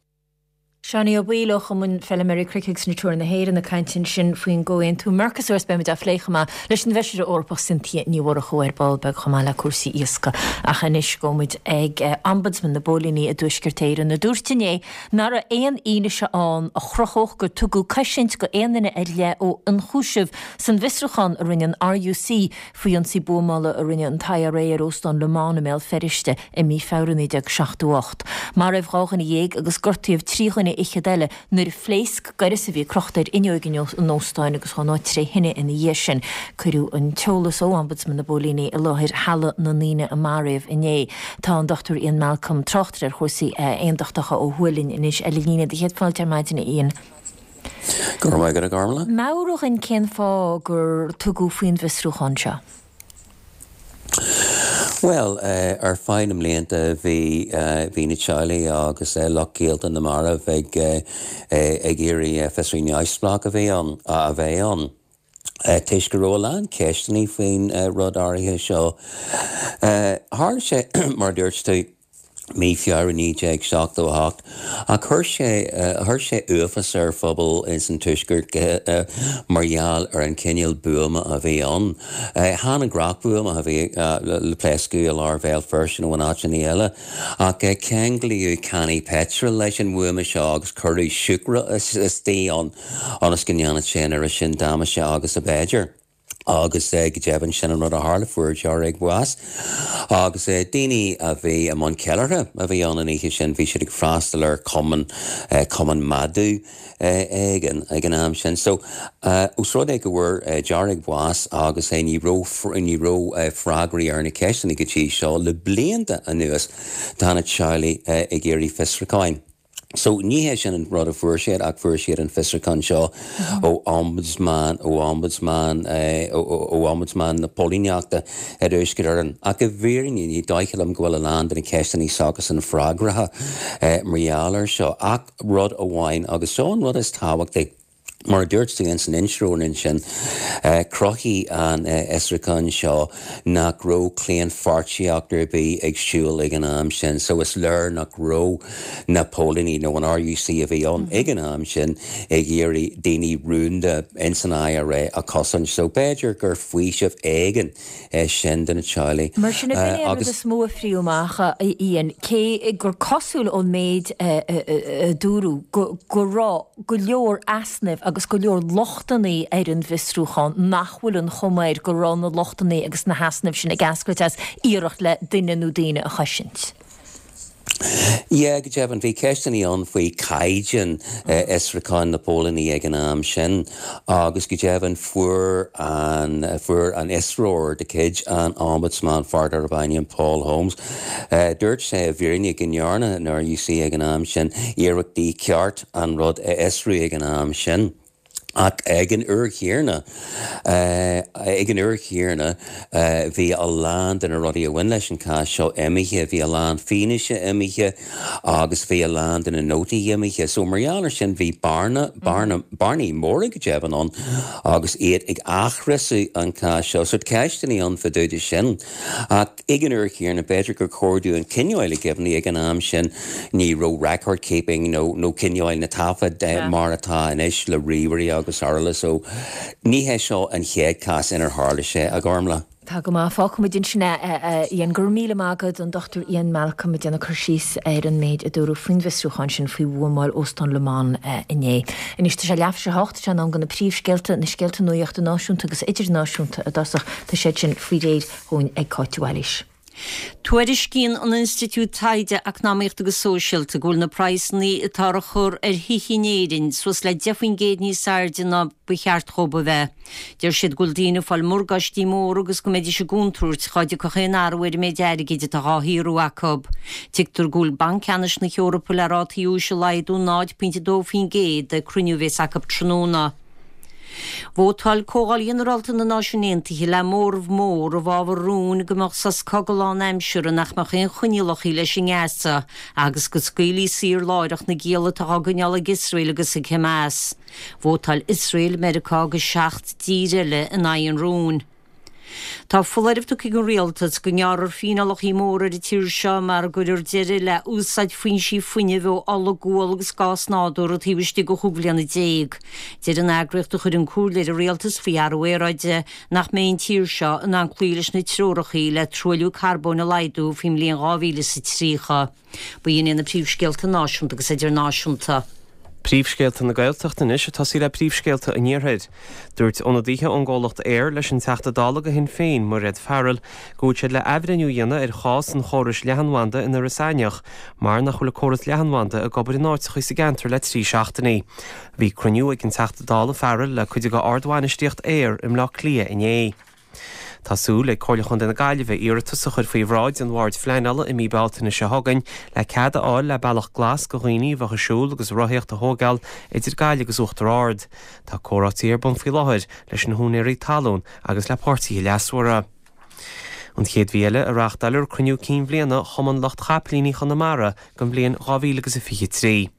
Seánie Ó Baoill ó Chumann Feilméaraí Cnoic agus Natura na hÉireann ag caint ansin faoin gcomhaontú Mercosur is beimid á phlé chomh maith leis an bhFeisire Eorpach Cynthia Ní Mhurchú ar ball beag chomh maith le cúrsaí iascaigh. Ach anois gabhfaidh muid ag Ombudsman na bPóilíní i dTuaisceart Éireann a dúirt inné nach raibh aon fhianaise ann a chruthódh gur tugadh cosaint go aon duine ar leith ó ionchúiseamh san bhfiosrúchán a rinne an RUC faoi ionsaí buamála a rinne an t-IRA ar Óstán Le Monde i mBéal Feirste i mí Feabhra naoi déag seachtó ocht. Maraíodh dhá dhuine dhéag agus gortaíodh trí dhuine fhichead eile nuair a phléasc gaireas a bhí crochta ar fhuinneoig an óstáin agus chuaigh an áit tré thine ina dhiaidh sin. Cuireadh an t-eolas ó Ombudsman na bPóilíní i láthair Halla na nDaoine a Maraíodh inné. Tá an Dochtúir Ian Malcolm, tráchtaire ar chúrsaí aondachtacha ó thuaidh linn anois ar an líne. Do chéad fáilte ar maidin a Ian. Go raibh maith agat a Ghormfhlaith. Meabhraigh dhúinn cén fáth gur tugadh faoin bhfiosrúchán seo. Bhuel, ar feadh na mblianta bhí bhí na teaghlaigh agus lucht gaolta na marbh ag ag iarraidh fiosrú neamhspleách a bhí ann a bheith ann. Toisc go raibh a lán ceisteanna faoin rud áirithe seo. Tharla sé, mar a dúirt tú, mí Feabhra naoi déag seachtó a hocht, ach chuir sé chuir sé uafás ar phobal ins an Tuaisceart mar gheall ar an chineál buama a bhí ann. Chan an gnáthdhuama a bhí le pléascadh i lár Bhéal Feirste nó in áiteanna eile, ach ceanglaíodh cannaí peitril leis an bhuama seo agus cuireadh siúcra istigh ann ionas go ndéanfadh sé an oiread sin damáiste agus ab fhéidir. Agus go deimhin sin an rud a tharla, fuair dáréag bás. Agus daoine a bhí i mbun ceiliúrtha a bhí ann an oíche sin, bhí siad ag freastal ar chumann, cumann madadh éigin ag an am sin. So, os rud é go bhfuair dáréag bás agus ní raibh, ní raibh freagraí ar na ceisteanna go dtí seo le blianta anuas, tá na teaghlaigh ag iarraidh fiosrúcháin. So, ní hé sin an rud a fuair siad ach fuair siad an fiosrúchán seo ó Ombudsman, ó Ombudsman, ó Ombudsman na Póilíneachta i dTuaisceart Éireann. Ach i bhfírinne, ní dóiche liom go bhfuil a lán de na ceisteanna s'acusan freagraithe mar gheall air seo. Ach rud amháin, agus seo an rud is tábhachtaí, Mar a dúirt tú ins an intro ansin, chruthaigh an fhiosrúchán seo nach raibh claonpháirtíocht ar bith ag siúl ag an am sin so is léir nach raibh na póilíní nó an RUC a bhí ann ag an am sin ag iarraidh daoine rúnda ins an IRA a chosaint so b'fhéidir gur faoiseamh éigin é sin do na teaghlaigh. Mar sin, ab in é an rud is mó a phríoc amach, a Ian, cé gur cosúil ón méid a dúradh go raibh go leor easnaimh agus go leor lochtanna ar an bhfiosrúchán, nach bhfuil an chuma air go raibh na lochtanna agus na heasnaimh sin ag eascairt as iarracht le duine nó daoine a chosaint. Yeah, go deimhin, bhí ceisteanna ann faoi caighdeán fhiosrúchán na póilíní ag an am sin agus go deimhin fuair an fuair an fhiosróir de chuid an Ombudsman fear darb ainm Paul Holmes, dúirt sé i bhfírinne go ndearna an RUC ag an am sin iarrachtaí ceart an rud a fhiosrú ag an am sin. Ach ag an uair chéanna, ag an uair chéanna, bhí a lán de na rudaí a bhain leis an cás seo imithe, bhí a lán fianaise imithe agus bhí a lán de na nótaí imithe. So mar gheall air sin bhí bearna, bearna, bearnaí móra go deimhin ann agus iad ag athfhiosrú an cás seo. So ceisteanna ann fá dtaobh de sin. Ach ag an uair chéanna, b'fhéidir gur chóir dúinn coinneáil i gcuimhne ag an am sin ní raibh record keeping nó nó coinneáil na taifead mar atá anois le ríomhairí agus araile so ní hé seo an chéad cás inar tharla sé, a Ghormlaith. Tá go maith. Fágfaimid ansin é, a Ian. Go raibh míle maith agat, an Dochtúir Ian Malcolm ag déanamh cur síos ar an méid a dúradh faoin bhfiosrúchán sin faoi bhuamáil Óstán Le Monde inné. Anois tá sé leathuair tar éis a hocht, tá sé in am do na príomhscéalta, na scéalta nuachta náisiúnta agus idirnáisiúnta i dtosach. Tá siad sin faoi réir dhúinn ag Cáit de Bhailís. Tuairiscíonn an Institiúid Taighde Eacnamaíochta agus Sóisialta go bhfuil na praghsanna atá á chur ar thithe in Éirinn suas le deich faoin gcéad níos airde ná ba cheart dhóibh a bheith. Deir siad go bhfuil daoine ag fáil morgáistí móra agus go mbeidís i gcontúirt dhá dtiocfadh aon athrú ar an méid airgid atá dhá shaothrú acu. Tuigtear go bhfuil Banc Ceannais na hEorpa le rátaí úis a laghdú náid pointe dó faoin gcéad ag cruinniú a bheas acu tráthnóna. Vótáil Comhdháil Ghinearálta na Náisiún Aontaithe le móramh mór i bhfabhar rúin go mbeadh sos cogaidh lánaimseartha nach mbeadh aon choinníollacha leis i nGaza agus go scaoilfí saor láithreach na gialla atá á gcoinneáil ag Iosrael agus ag Hamas. Vótáil Iosrael, Meiriceá agus seacht dtír eile in aghaidh an rúin. Tá foláireamh tugtha ag an Rialtas go ngearrfar fíneálacha móra ar an tír seo mara gcuirfear deireadh le úsáid foinsí fuinnimh ó ola, gual agus gás nádúrtha taobh istigh de chúig bhliana déag. Deir an eagraíocht a chuireann comhairle ar an Rialtas faoi athrú aeráide nach mbeidh an tír seo in ann cloí leis na treoracha le truailliú carbóin a laghdú faoin mbliain dhá mhíle is a tríocha. B'in iad na príomhscéalta náisiúnta agus idirnáisiúnta. Príomhscéalta na Gaeltachta anois ag tosaí le príomhscéalta an Iarthair. Dúirt ionadaithe ón gcomhlacht Eir leis an Teachta Dála do Shinn Féin, Mairéad Farrell, go bhfuil siad le athbhreithniú a dhéanamh ar chás an chórais leathanbhanda in Iorras Aithneach mar nach bhfuil an córas leathanbhanda ag obair in áiteacha sa gceantar le trí seachtainí. Bhí cruinniú ag an Teachta Dála Farrell le cuid de ardbhainistíocht Eir i mBleá Cliath inné. Tá súil ag Comhairle Chontae na Gaillimhe iarratas a chur faoi bhráid an Bhoird Phleanála i mí Bealtaine seo chugainn le cead a fháil le bealach glas do dhaoine a bheadh ag siúl agus rothaíocht a thógáil idir Gaillimh agus Uachtar Ard. Tá comhráití ar bun faoi láthair leis na húinéirí talún agus le páirtithe leasmhara. An chéad mhí eile a reáchtáilfear cruinniú cinn bhliana Chumann Lucht Chapaillíní Chonamara don bhliain dhá mhíle agus a fiche trí.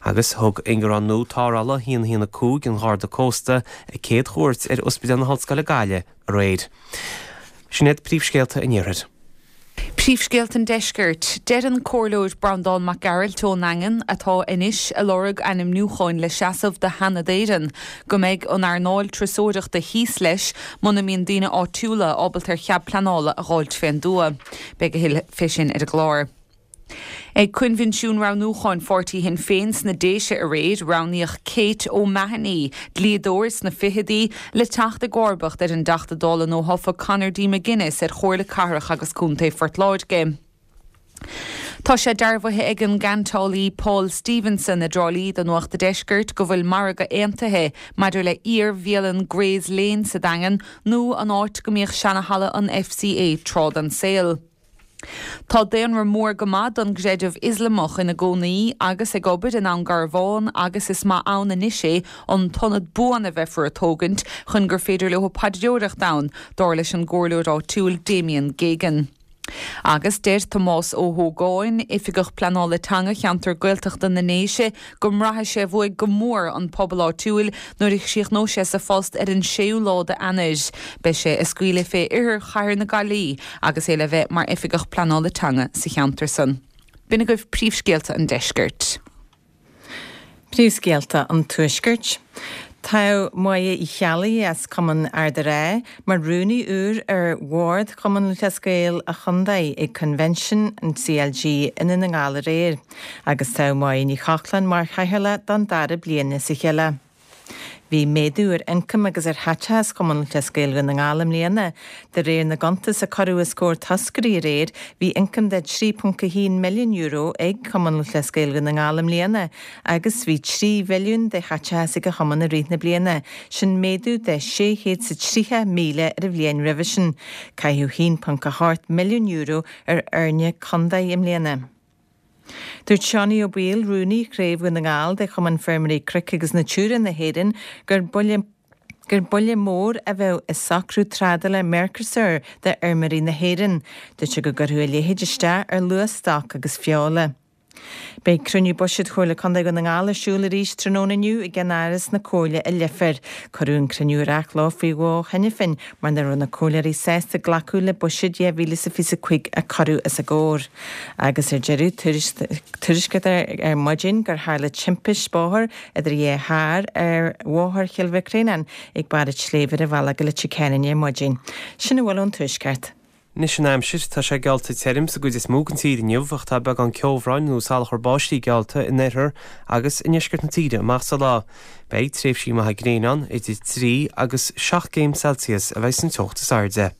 Agus thug ingearán nua tarrthála a haon a haon a cúig an Gharda Cósta a céad chuairt ar Ospidéal na hOllscoile Gaillimh aréir. Sin iad príomhscéalta an Iarthair. Príomhscéalta an Deiscirt. Deir an Comhairleoir Breandán Mac Gearailt ón nDaingean, atá anois ag lorg ainmniúcháin le seasamh do Sheanad Éireann, go mbeidh an earnáil turasóireachta thíos leis muna mbíonn daoine áitiúla ábalta ar chead pleanála a dh'fháilt fén dtuath. Beidh a thuilleadh fé sin ar an gclár. Ag coinbhinsiún roghnúcháin pháirtí Shinn Féin sna Déise aréir, roghnaíodh Kate O'Mahony, dlíodóir sna fichidí, le teacht i gcomharbacht ar an dTeachta Dála nuathofa Conor D. McGuinness ar Chomhairle Cathrach agus Contae Phort Láirge. Tá sé dearbhaithe ag an gceantálaí Paul Stevenson i dTrá Lí do Nuacht a' Deiscirt go bhfuil margadh aontaithe maidir le iar-bhialann Gray's Lane sa Daingean nó an áit go mbíodh seana-halla an F C A tráth den saol. Tá daonra mór go maith don gcreideamh Ioslamach ina gcónaí agus ag obair i nDún Garbhán agus is maith ann anois é an t-ionad buan a bheifear a tógaint chun gur féidir leo paidreoireacht ann, dar leis an gcomhairleoir áitiúil Damien Geoghegan. Agus deir Tomás Ó hÓgáin, Oifigeach Pleanála Teanga Cheantar Gaeltachta na nDéise, go mbraithfidh sé uaidh go mór an pobal áitiúil nuair a chríochnóidh sé sa phost ar an séú lá d'Eanáir. Beidh sé ag scaoileadh fé oirthear chathair na Gaillimhe agus é le bheith mar Oifigeach Pleanála Teanga sa cheantar san. B'in agaibh príomhscéalta an deiscirt. Príomhscéalta an Tuaiscirt. Toghadh Máire Uí Cheallaigh as Cumann Ard an Rátha mar rúnaí úr ar Bhord Chumann Lúthchleas Gael an Chontae ag Convention an C L G i nDún na nGall aréir, agus toghadh Máire Ní Chochláin mar chathaoirleach don dara bliain as a chéile. Bhí méadú ar ioncam agus ar chaiteachas Chumann Lúthchleas Gael Dhún na nGall i mbliana. De réir na gcuntas a cuireadh os comhair toscairí aréir, bhí ioncam de trí ponc a haon milliún euro ag Cumann Lúthchleas Gael Dhún na nGall i mbliana agus bhí trí mhilliún de chaiteachas ag an chumann i rith na bliana, sin méadú de sé chéad is tríocha míle ar an bhliain roimhe sin. Caitheadh haon ponc a hocht milliún euro ar fhoirne contae i mbliana. Dúirt Seánie Ó Baoill, Rúnaí Chraobh Dhún na nGall de Chumann Feirmeoirí Cnoic agus Natura na hÉireann, gur buille gur buille mór a bheadh i socrú trádála Mercosur d'fheirmeoirí na hÉireann. Dúirt sé go gcuirfeadh a leithéid isteach ar luach stoc agus feola. Beidh cruinniú buiséid Chomhairle Contae Dhún na nGall ar siúl arís tráthnóna inniu i gceannáras na Comhairle i Leifear. Cuireadh an cruinniú ar athló faoi dhó cheana féin mar nach raibh na comhairleoirí sásta glacadh le buiséad dhá mhíle is a fiche a cúig a cuireadh os a gcomhair. Agus ar deireadh, tuairiscítear ar maidin gur tharla timpist bóthair idir dhá charr ar Bhóthar Chill Mhic Réanáin ag barr an tsléibhe ar an bhealach go Leitir Ceanainn ar maidin. Sin a bhfuil ón Tuaisceart. Anois an aimsir, tá sé geallta tirim sa gcuid is mó den tír inniu ach tá beagán ceobhráin nó salachar báistí geallta in oirthear agus i ndeisceart na tíre amach sa lá. Beidh tréimhsí maithe gréine ann, idir trí agus seacht gcéim Celsius a bheidh san teocht is airde.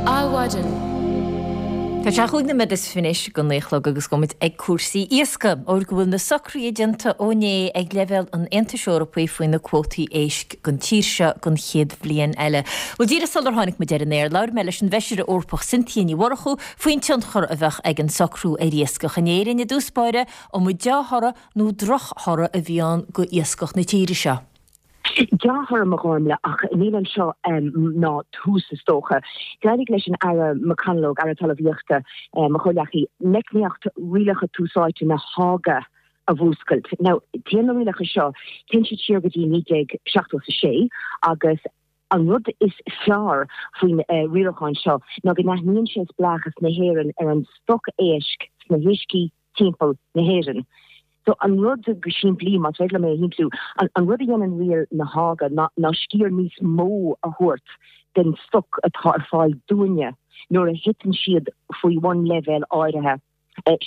Adhmhaidin. Tá sé chúig nóiméad is fiche anois go naoi a chlog agus gabhfaidh muid ag cúrsaí iascaigh, óir go bhfuil na socruithe déanta ó inné ag leibhéal an Aontais Eorpaigh faoi na cuótaí éisc don tír seo don chéad bhliain eile. Bhuel, díreach sular tháinig muid ar an aer, labhair mé leis an bhFeisire Eorpach Cynthia Ní Mhurchú faoin tionchar a bheadh ag an socrú ar iascach in Éirinn i dtús báire, an mba dea-thoradh nó drochthoradh a bhí ann go iascach na tíre seo. Dea-thoradh, a Ghormfhlaith, ach níl anseo ná tús is dócha. D'éirigh leis an Aire McConalogue, Aire Talmhaíochta, mo chomhghleacaí, meicníocht Rialacha Tús Áite na Háige a mhúscailt. Now, téann na rialacha seo, téann siad siar go dtí naoi déag seachtó is a sé agus an rud is fearr faoin riarachán seo ná go n-aithníonn sé spleáchas na hÉireann ar an stoc éisc sna huiscí timpeall na hÉireann. So an rud go simplí, más féidir liom é a shimpliú, an rud a dhéanann riail na Háige ná ná sciar níos mó a thabhairt den stoc atá ar fáil dúinne nuair a thiteann siad faoi bhun leibhéal áirithe,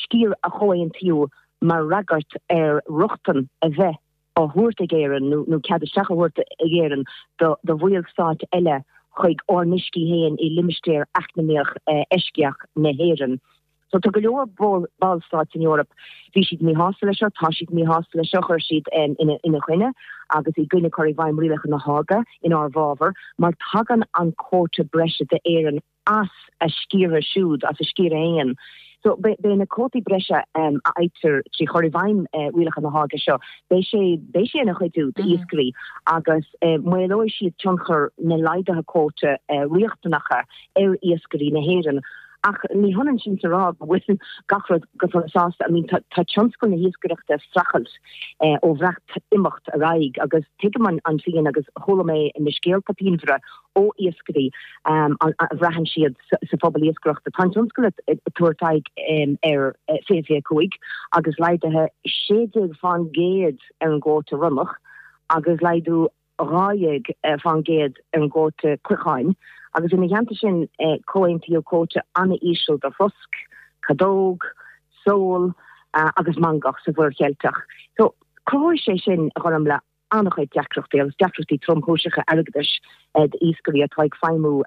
sciar a chomhaontaíodh mar fhreagairt ar rochtain a bheith á thabhairt ag Éirinn nó cead isteach a thabhairt ag Éirinn do bhallstáit eile chuig ár n-uiscí féin i limistéar eacnamaíoch eisceach na hÉireann. So tá go leor ballstáit san Eoraip, bhí siad míshásta leis seo, tá siad míshásta leis seo, chuir siad ina choinne agus i gcoinne cur i bhfeidhm rialacha na Háige inár bhfabhar, mar tagann an cuóta breise d'Éirinn as a sciartha siúd, as a sciar féin. So beidh na cuótaí breise a fhaightear trí chur i bhfeidhm rialacha na Háige seo, beidh sé, beidh sé ina chuidiú d'iascairí agus maolóidh siad tionchar na laghduithe cuóta riachtanacha ar iascairí na hÉireann. Ach ní hionann sin is a rá go bhfuil gach rud go sona sásta. I mean, tá tionscal na hiascaireachta ag streachailt ó Bhreatimeacht ar aghaidh agus tuigim an phian agus chuala mé na scéalta pianmhara ó iascairí a bhraitheann siad sa phobal iascaireachta. Tá an tionscal ag tabhairt aghaidh ar fiche fiche cúig agus laghduithe sé déag fán gcéad ar an gcuóta ronnach agus laghdú dhá dhéag fán gcéad ar an gcuóta cloichéin agus ina theannta sin comhaontaíodh cuóta an-íseal do throsc, cadóg, sól agus mangach sa Mhuir Cheilteach. So cruthóidh sé sin, a Ghormfhlaith, an-chuid deacrachtaí agus deacrachtaí tromchúiseacha airgeadais d'iascairí atá ag feidhmiú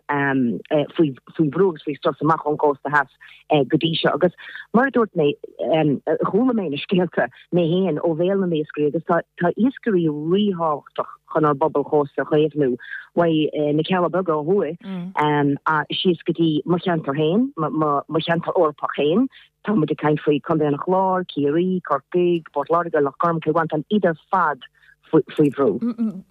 faoi bhrú agus faoi strus amach ón gcósta theas go dtí seo. Agus mar a dúirt mé, chuala mé na scéalta mé féin ó bhéal na n-iascairí agus tá iascairí ríthábhachtach chun ár bpobail chósta a chaomhnú, uaidh na Cealla Beaga ó thuaidh síos go dtí mo cheantar féin, mo cheantar Eorpach féin. Tá muid ag caint faoi Chontae an Chláir, Ciarraí, Corcaigh, Port Láirge, Loch Gorm, Cill Mhantáin, iad ar fad faoi bhrú.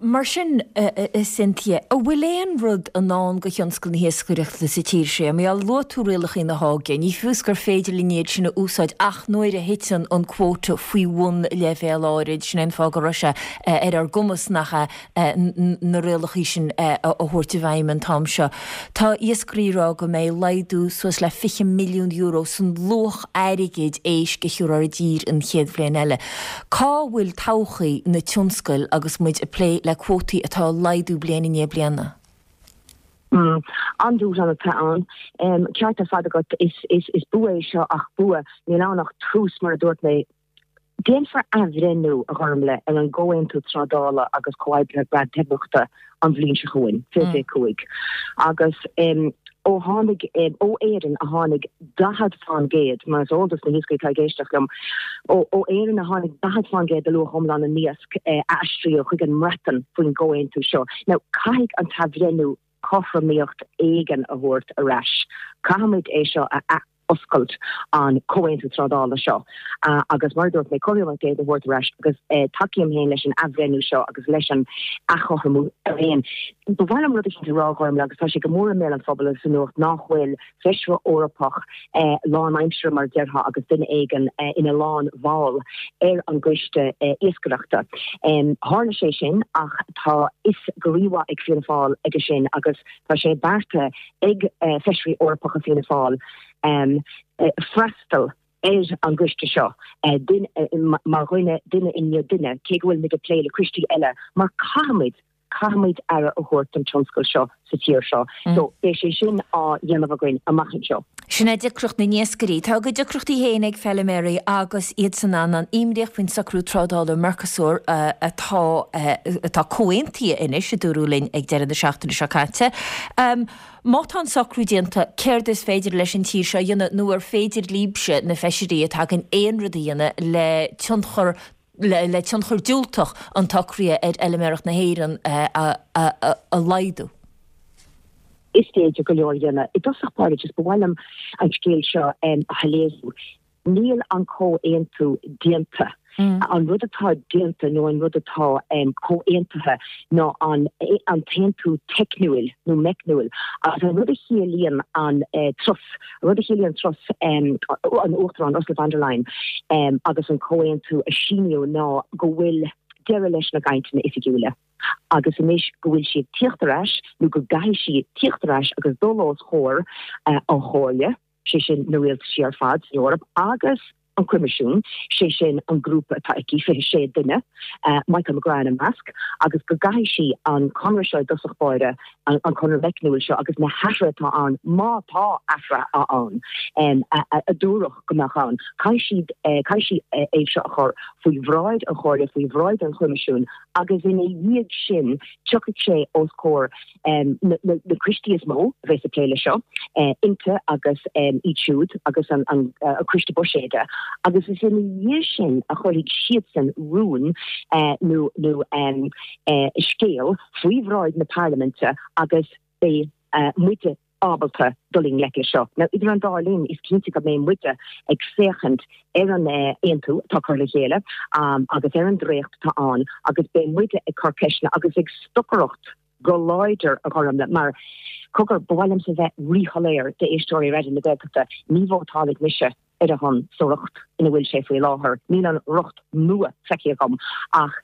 Mar sin, a Cynthia, an bhfuil aon rud i ndán do thionscal na hiascaireachta sa tír seo? Mar luaigh tú rialacha na Háige, ní fios gur féidir linn iad sin a úsáid ach nuair a thiteann an cuóta faoi bhun leibhéal áirid, sin é an fáth go raibh sé ar ár gcumas nach ea na rialacha sin a thabhairt i bhfeidhm an t-am seo. Tá iascairí ag rá go mbeidh laghdú suas le fiche milliún euro san luach airgid éisc a thiúrfar i dtír an chéad bhliain eile. Cá bhfuil todhchaí na tionscail agus muid ag plé le cuótaí atá ag laghdú bliain i ndiaidh bliana? An-dúshlán atá ann. Ceart ar fad agat, is is is bua é seo ach bua, níl ann ach tús mar a dúirt mé. Déanfar athbhreithniú, a Ghormlaith, ar an gComhaontú Trádála agus Comhoibrithe Breatimeachta an bhliain seo chugainn, fiche fiche cúig, agus ó tháinig, ó Éirinn a tháinig daichead fán gcéad, mar is eol dos na hiascairí atá ag éisteacht liom, ó Éirinn a tháinig daichead fán gcéad de luach iomlán na n-iasc a aistríodh chuig an mBreatain faoin gcomhaontú seo. Now, caithfidh an t-athbhreithniú cothromaíocht éigin a thabhairt ar ais. Caithfimid é seo a athoscailt, an comhaontú trádála seo, agus mar a dúirt mé, cothromaíocht éigin a thabhairt ar ais agus tacaím féin leis an athbhreithniú seo agus leis an athchothromú araon. Ba mhaith liom rud eicínt a rá, a Ghormlaith, agus tá sé go mór i mbéal an phobail agus sa nuacht nach bhfuil feisire Eorpach lánaimseartha, mar a déarfá, agus duine éigin ina lánbhall ar an gcoiste iascaireachta. Tharla sé sin ach tá fhios go rímhaith ag Fianna Fáil aige sin agus tá sé beartaithe ag feisirí Eorpacha Fianna Fáil freastal ar an gcoiste seo duine mar dhuine, duine i ndiaidh duine, cé go bhfuil muid ag plé le coistí eile, mar caithfimid, caithfimid aire a thabhairt don tionscal seo sa tír seo. So beidh sé sin á dhéanamh againn amach anseo. Sin é deacracht na n-iascairí. Tá a gcuid deacrachtaí féin ag feiliméaraí agus iadsan ann imníoch faoin socrú trádála Mercosur atá atá comhaontaithe anois, a dúradh linn ag deireadh na seachtaine seo caite. Má tá an socrú déanta, céard is féidir leis an tír seo a dhéanamh nó ar féidir libhse, na feisirí atá againn, aon rud a dhéanamh le tionchar le tionchar diúltach an tsocraithe ar fheiliméaracht na hÉireann a laghdú? Is féidir go leor a dhéanamh. I dtosach báire, just ba mhaith liom an scéal seo a shoiléiriú. Níl an comhaontú déanta. An rud atá déanta nó an rud atá comhaontaithe ná an an t-aontú teicniúil nó meicniúil agus an rud a chiallaíonn an turas, an rud a chiallaíonn turas an Uachtaráin Ursula von der Leyen agus an comhaontú a síníodh ná go bhfuil deireadh leis na gcainteanna oifigiúla agus anois go bhfuil sí ag tíocht ar ais nó go gcaithfidh sí tíocht ar ais agus dul os comhair an Chomhairle, sé sin na rialtaisí ar fad san Eoraip agus an Coimisiún, sé sin an grúpa atá aici, fiche sé duine, Michael McGrath ina measc, agus go gcaithfidh sí an conradh seo i dtosach báire, an conradh meicniúil seo agus na hathruithe atá ann, má tá athruithe ann, a dúradh go mbeadh ann, caithfidh siad, caithfidh sí é seo a chur faoi bhráid an Chomhairle, faoi bhráid an Choimisiúin agus ina dhiaidh sin tiocfaidh sé os comhair na coistí is mó a bheas ag plé leis seo, INTA agus iad siúd agus an Coiste Buiséid, agus is ina dhiaidh sin a chuirfidh siadsan rún nó scéal faoi bhráid na Parlaiminte agus beidh muide ábalta dul i ngleic leis seo. Now, idir an dá linn, is cinnte go mbeidh muide ag féachaint ar an aontú atá curtha le chéile agus ar an dréacht atá ann agus beidh muide ag cur ceisteanna agus ag stocaireacht go láidir, a Ghormlaith, mar, cogar, ba mhaith liomsa bheith ríshoiléir d'éisteoirí Raidió na Gaeltachta, ní vótálfaidh mise ar a shon sa riocht ina bhfuil sé faoi láthair. Níl an riocht nua feicthe agam, ach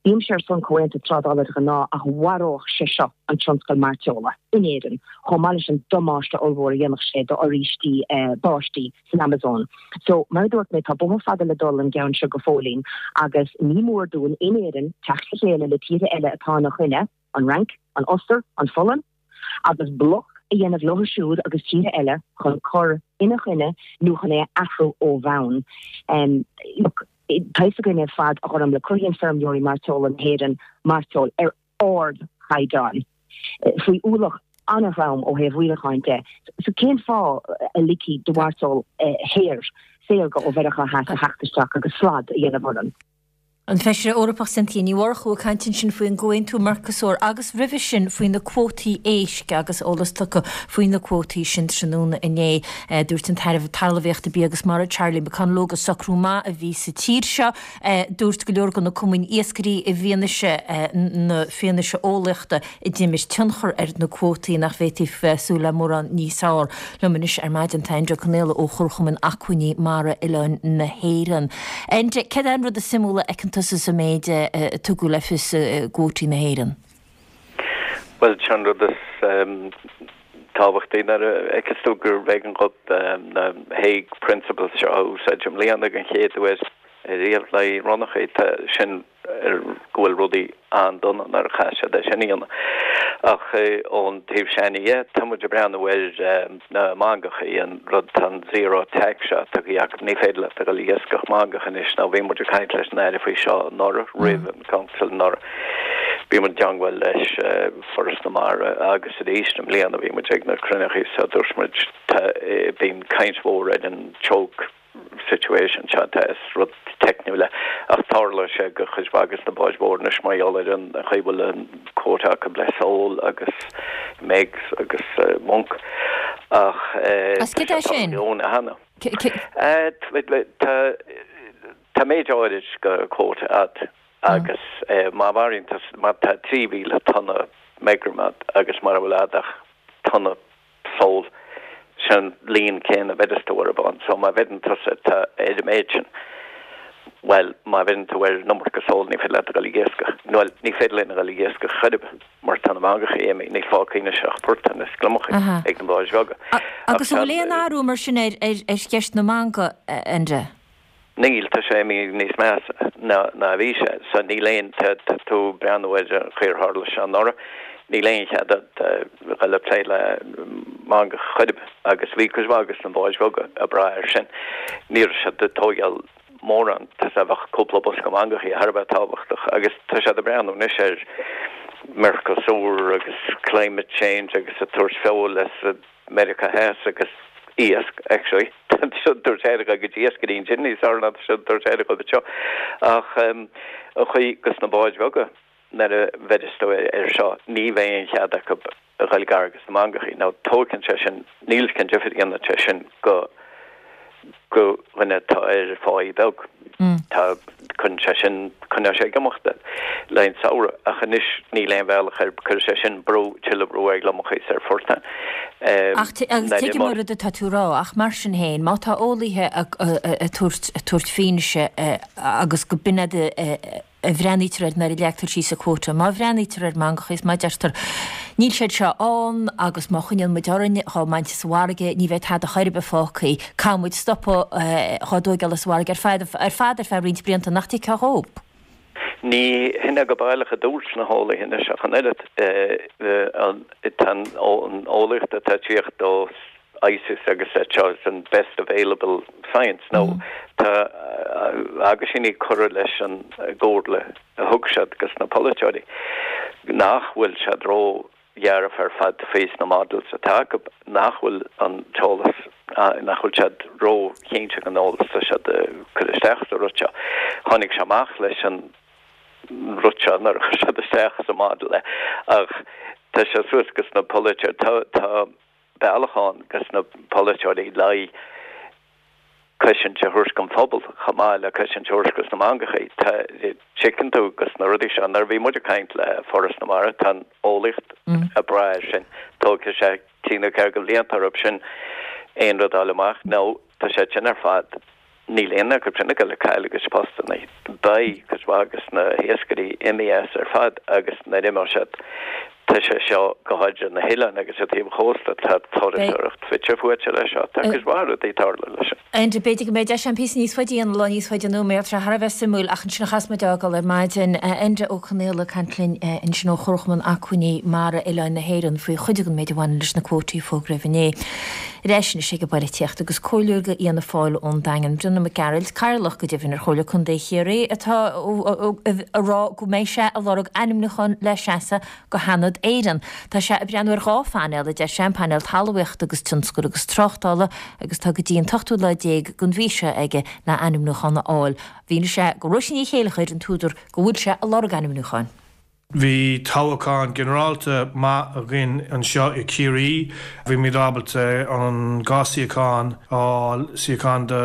bímse ar son comhaontú trádála de ghnáth ach mharódh sé seo an tionscal mairteola in Éirinn, chomh maith leis an damáiste ollmhór a dhéanfadh sé d'fhoraoistí báistí san Amazon. So, mar a dúirt mé, tá bóthar fada le dul an gceann seo go fóillín agus ní mór dúinn in Éirinn teacht le chéile le tíortha eile atá ina choinne, an Fhrainc, an Ostair, an Pholainn, agus bloc a dhéanamh leo siúd agus tíortha eile chun cur ina choinne nó chun é a athrú ó bhonn. Look, tá fhios againn ar fad, a Ghormlaith, cruthaíonn feirmeoirí mairteola na hÉireann mairteoil ar ardchaighdeán, faoi ualach an-throm ó thaobh rialacháin de. So cén fáth a ligfí do mhairteoil shaor, saorga ó Mheiriceá Theas a theacht isteach agus slad a dhéanamh orainn? An Feisire Eorpach Cynthia Ní Mhurchú ag caint ansin faoin gcomhaontú Mercosur agus roimhe sin faoi na cuótaí éisc agus eolas tugtha faoi na cuótaí sin tráthnóna inné. Dúirt an tAire Talmhaíochta, Bia agus Mara Charlie McConalogue gur socrú maith a bhí sa tír seo. Dúirt go leor de na cumainn iascairí i bhfianaise na fianaise eolaíochta a d'imir tionchar ar na cuótaí nach bhféadfaí bheith ag súil le mórán níos fearr. Liom anois ar maidin tá Enda Ó Conaola ó Chomharchumann Acmhainní Mara Oileáin na hÉireann. Enda, céard é an rud is suimiúla a fheiceann tusa sa méid a tugadh le fios i gcuótaí na hÉireann? Bhuel, sé an rud is tábhachtaí nuair a fheiceas tú gurbh éigean dhóibh na Hague Principles seo a úsáid i mbliana den chéad uair. riamh le ronnachaí sin go bhfuil rudaí an-dona nuair a chaith siad é sin a dhéanamh. Ach ón taobh sin dhe, tá muid ag breathnú ar na mangachaí, an rud tá an zero tax seo tugtha acu, ní féidir leat a dhul ag iascach mangach anois nó bhí muid ag caint leis an Aire faoi seo anuraidh, roimh an Council anuraidh. Bhí muid i dteangmháil leis Foras na Mara agus arís i mbliana bhí muid ag na cruinnithe so dúirt muid tá bíonn caint mhór ar an choke situation seo tá is rud teicniúil é ach tarlóidh sé go chuid mhaith de na báid mhóra anois mar gheall ar an chaoi bhfuil an quota acu le sól agus megs agus monk ach As cad é sin? Tá tá méid áirid go quota agat agus má mharaíonn má tá trí mhíle tonna meagream agat agus mura bhfuil agat ach tonna sól sin líon céanna bheideas tú ar an bád so má bheideann tusa tá ar an méid sin well má bheideann tú ar an iomarca sól ní féidir leat a dhul ag iascach nó ní féidir linn a dhul ag iascach chor ar bith mar tá na mangachaí imithe níl fágtha anois ach portáin is gliomachaí ag na báid bheaga. Agus an bhfuil aon athrú mar sin ar ar cheist na mangach, Enda? Níl, tá sé imithe níos measa ná ná a bhí sé. So níl aon, tá tú ag breathnú ar an chaoi ar tharla sé anuraidh, níl aon chead agat dhul ag plé le mangach chor ar bith agus bhí cuid mhaith de na báid bheaga ag brath air sin. Ní raibh siad ag tógáil mórán, tá sé bheadh cúpla bosca mangachaí thar a bheith tábhachtach agus tá siad ag breathnú anois ar Mercosur agus climate change agus ag tabhairt feoil as Meiriceá Theas agus iasc actually tá siad ag tabhairt aire go dtí iascairí ansin níos fearr ná tá siad ag tabhairt aire dhóibh anseo ach an chaoi gus na báid bheaga nuair a bheideas tú ar seo ní bheidh aon chead acu a dhul gar gus na mangachaí nó tógann sé sin níl cén difear a dhéanann sé sin go go dhuine atá ar pháí beag. Tá cuireann sé sin coinneoidh sé ag imeacht le an samhradh ach anois níl aon bhealach ar cuirfidh sé sin brú tuilleadh brú ar ghliomachaí is ar phortáin. Ach agus tuigim an rud atá tú a rá ach mar sin féin má tá eolaithe ag tabhairt tabhairt fianaise agus go b'in iad a bhreathnaítear air nuair a leagtar síos an cuóta. Má bhreathnaítear ar mhangacha is má deirtear níl siad seo ann agus má choinníonn muid orainn dhá mbaint as an bhfarraige ní bheidh tada chor ar bith fágtha. Caithfidh muid stopadh dhá dtóigeáil as an bhfarraige ar fad ar fad ar feadh roinnt blianta nach dtuigfeá dhób. Ní hin é go baileach a dúirt na heolaithe anois ach an oiread. Tá an eolaíocht atá ag tíocht ó ICES agus seo is an best available science nó tá aguisíní curtha leis an gcomhairle a thug siad gus na polaiteoirí nach bhfuil siad ró-dhearfa ar fad faoi sna models atá acu nach bhfuil an t-eolas nach bhfuil siad ró-chinnte den eolas tá siad cur isteach sa rud seo. Tháinig sé amach leis an rud seo nuair a chuir siad isteach sa model é ach tá sé suas gus na polaiteoirí tá tá bealach ann gus na polaiteoirí le cosaint a thabhairt don phobal chomh maith le cosaint a thabhairt gus na mangachaí. Tá tuigeann tú gus na rudaí seo nuair a bhí muid ag caint le Foras na Mara tá an eolaíocht ag brath air sin. Tógfaidh sé trí nó ceathair de bhlianta orthu sin aon rud a fháil amach nó tá sé sin ar fad Níl aon acu sin ag dul ag cailleadh a gcuid postanna. Beidh cuid mhaith gus na hiascairí imithe as ar fad agus nuair a imeoidh siad tá sé seo go háirithe na hoileáin agus ar taobh an chósta tá turasóireacht fite fuaite leis seo. Tá cuid mhaith rudaí ag tarlú leis. Enda, b'fhéidir go mbeidh deis agam píosa níos faide a dhéanamh lá níos faide anonn, mar tá sé thar a bheith suimiúil ach ansin a chaithfeas muid a fhágáil ar maidin. Enda Ó Conaola ag caint linn ansin ó Chomharchumann Acmhainní Mara Oileáin na hÉireann faoi chuid den méid a bhaineann leis na cuótaí a fógraíodh inné. Ar ais anois ag an bpolaitíocht agus comhairleoir do Fhianna Fáil ón Daingean, Breandán Mac Gearailt, Cathaoirleach go deimhin ar Chomhairle Contae Chiarraí, atá ag rá go mbeidh sé ag lorg ainmniúchán le seasamh go Sheanad Éireann. Tá sé ag breathnú ar dhá phainéal, a deir sé, an painéal talmhaíochta agus tionscail agus tráchtála agus tá go dtí an t-ochtú lá déag den mhí seo aige le ainmniúchán a fháil. Mhínigh sé do Róisín Ní Chéilleachair an t-údar go bhfuil sé ag lorg ainmniúcháin. Bhí toghchán ginearálta maith againn anseo i Ciarraí. Bhí muid ábalta an dhá suíochán a fháil, suíochán do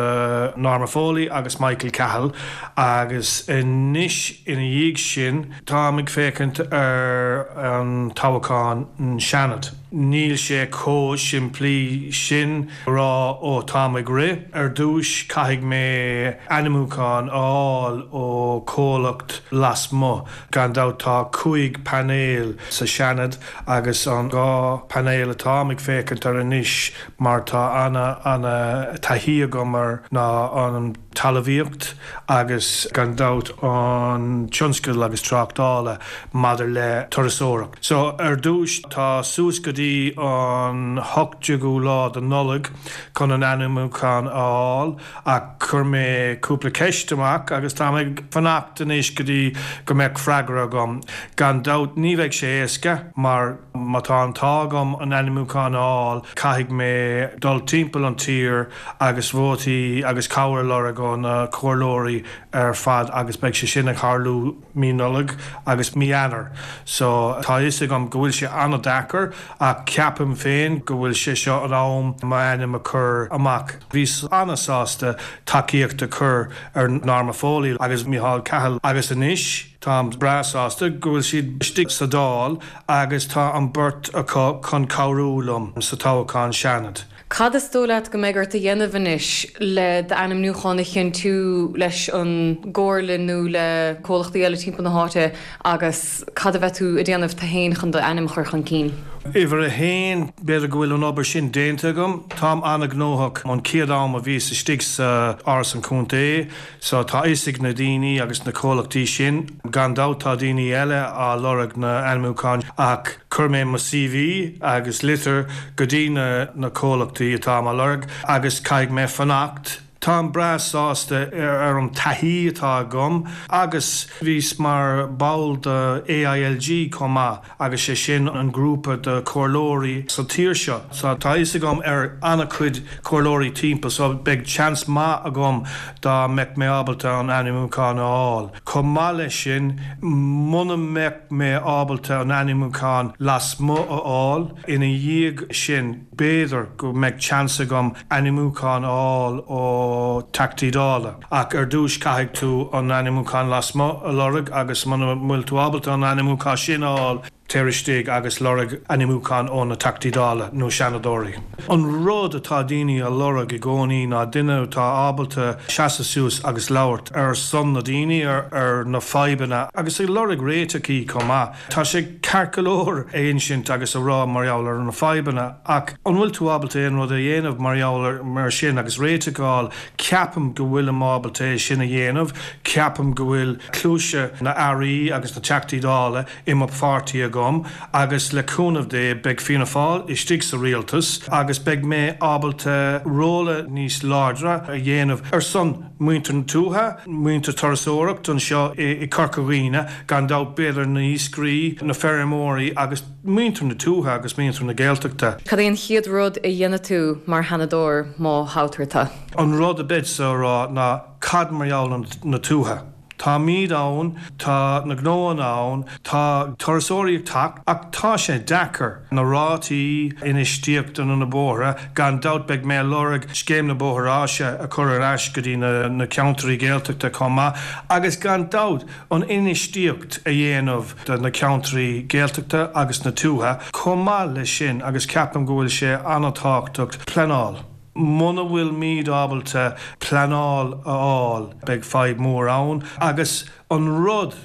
Norma Foley agus Michael Cahill agus anois ina dhiaidh sin táim ag féachaint ar an toghchán an Seanad. Níl sé chomh simplí sin rá ó táim ag rith. Ar dtús caithfidh mé ainmniúchán a fháil ó chomhlacht lasmuigh. Gan dabht tá cúig painéal sa Seanad agus an dhá painéal atáim ag féachaint ar anois mar tá ana ana taithí agam air ná an talmhaíocht agus gan dabht an tionscal agus tráchtála maidir le turasóireacht. So ar dtús tá suas go dtí an hocht déagú lá de Nollaig chun an ainmniúchán a fháil ach chuir mé cúpla ceist amach agus táim ag fanacht anois go dtí go mbeadh freagra agam. Gan dabht ní bheidh sé éasca mar má tá an t-ádh agam an ainmniúchán a fháil caithfidh mé dul timpeall an tír agus vótaí agus cabhair a lorg ó na comhairleoirí ar fad agus beidh sé sin ag tarlú mí Nollag agus mí Eanáir. So tá fhios agam go bhfuil sé an-deacair ach ceapaim féin go bhfuil sé seo an am m'ainm a chur amach. Bhíos an-sásta tacaíocht a chur ar Norma Foley agus Micheál Cahill agus anois táim breá sásta go bhfuil siad istigh sa Dáil agus tá an beirt acu chun cabhrú liom sa toghchán Seanad. Cad is dóigh leat go mbeidh ort a dhéanamh anois le d'ainmniúchán a chinntiú leis an gcomhairle nó le comhlachtaí eile timpeall na háite agus cad a bheidh tú a déanamh tú féin chun d'ainm a chur chun cinn? Uimhir a haon, b'fhéidir go bhfuil an obair sin déanta agam. Táim an-ghnóthach an chéad am a bhíos istigh sa Áras an Chontae so tá fhios ag na daoine agus na comhlachtaí sin. Gan dabht tá daoine eile á lorg na ainmniúcháin ach chuir mé mo CV agus litir go dtí na na comhlachtaí atá á lorg agus caithfidh mé fanacht. Táim breá sásta ar an taithí atá agam agus bhíos mar ball de AILG chomh maith agus sé sin an grúpa de chomhairleoirí sa tír seo. So tá fhios agam ar an-chuid comhairleoirí timpeall so beidh seans maith agam dá mbeadh mé ábalta an ainmniúchán a fháil. Chomh maith leis sin, muna mbeadh mé ábalta an ainmniúchán lasmuigh a fháil, ina dhiaidh sin b'fhéidir go mbeadh seans agam ainmniúchán a fháil ó Teachtaí Dála. Ach ar dtús caithfidh tú an ainmniúchán lasmuigh a lorg agus muna bhfuil tú ábalta an ainmniúchán sin a fháil, téir istigh agus lorg ainmniúchán ó na Teachtaí Dála nó Seanadóirí. An rud atá daoine a lorg i gcónaí ná duine atá ábalta seasamh suas agus labhairt ar son na daoine ar ar na fadhbanna agus ag lorg réiteachaí chomh maith. Tá sé ceart go leor a insint agus a rá mar gheall ar na fadhbanna ach an bhfuil tú ábalta aon rud a dhéanamh mar gheall ar mar sin agus réiteach a fháil? Ceapaim go bhfuilim ábalta é sin a dhéanamh. Ceapaim go bhfuil cluaise na airí agus na Teachtaí Dála i mo pháirtí agam agus le cúnamh Dé beidh Fianna Fáil istigh sa rialtas agus beidh mé ábalta róla níos láidre a dhéanamh ar son muintir na tuaithe, muintir turasóireacht anseo i Corca Dhuibhne, gan dabht b'fhéidir na hiascairí, na feirmeoirí agus muintir na tuaithe agus muintir na Gaeltachta. Cad é an chéad rud a dhéanfaidh tú mar Sheanadóir má thoghtar tú? An rud a bheadsa a rá ná cad mar gheall ar na tuaithe? Táimid ann, tá na gnóanna ann, tá turasóirí ag teacht ach tá sé deacair. Na rátaí infheistíochta na bóithre, gan dabht beidh mé ag lorg scéim na bóithre áise a chur ar ais go dtí na ceantraí Gaeltachta chomh maith agus gan dabht an infheistíocht a dhéanamh do na ceantraí Gaeltachta agus na tuaithe chomh maith leis sin agus ceapaim go bhfuil sé an-tábhachtach pleanáil. Muna bhfuilimid ábalta pleanáil a fháil, beidh fadhb mór ann agus an rud,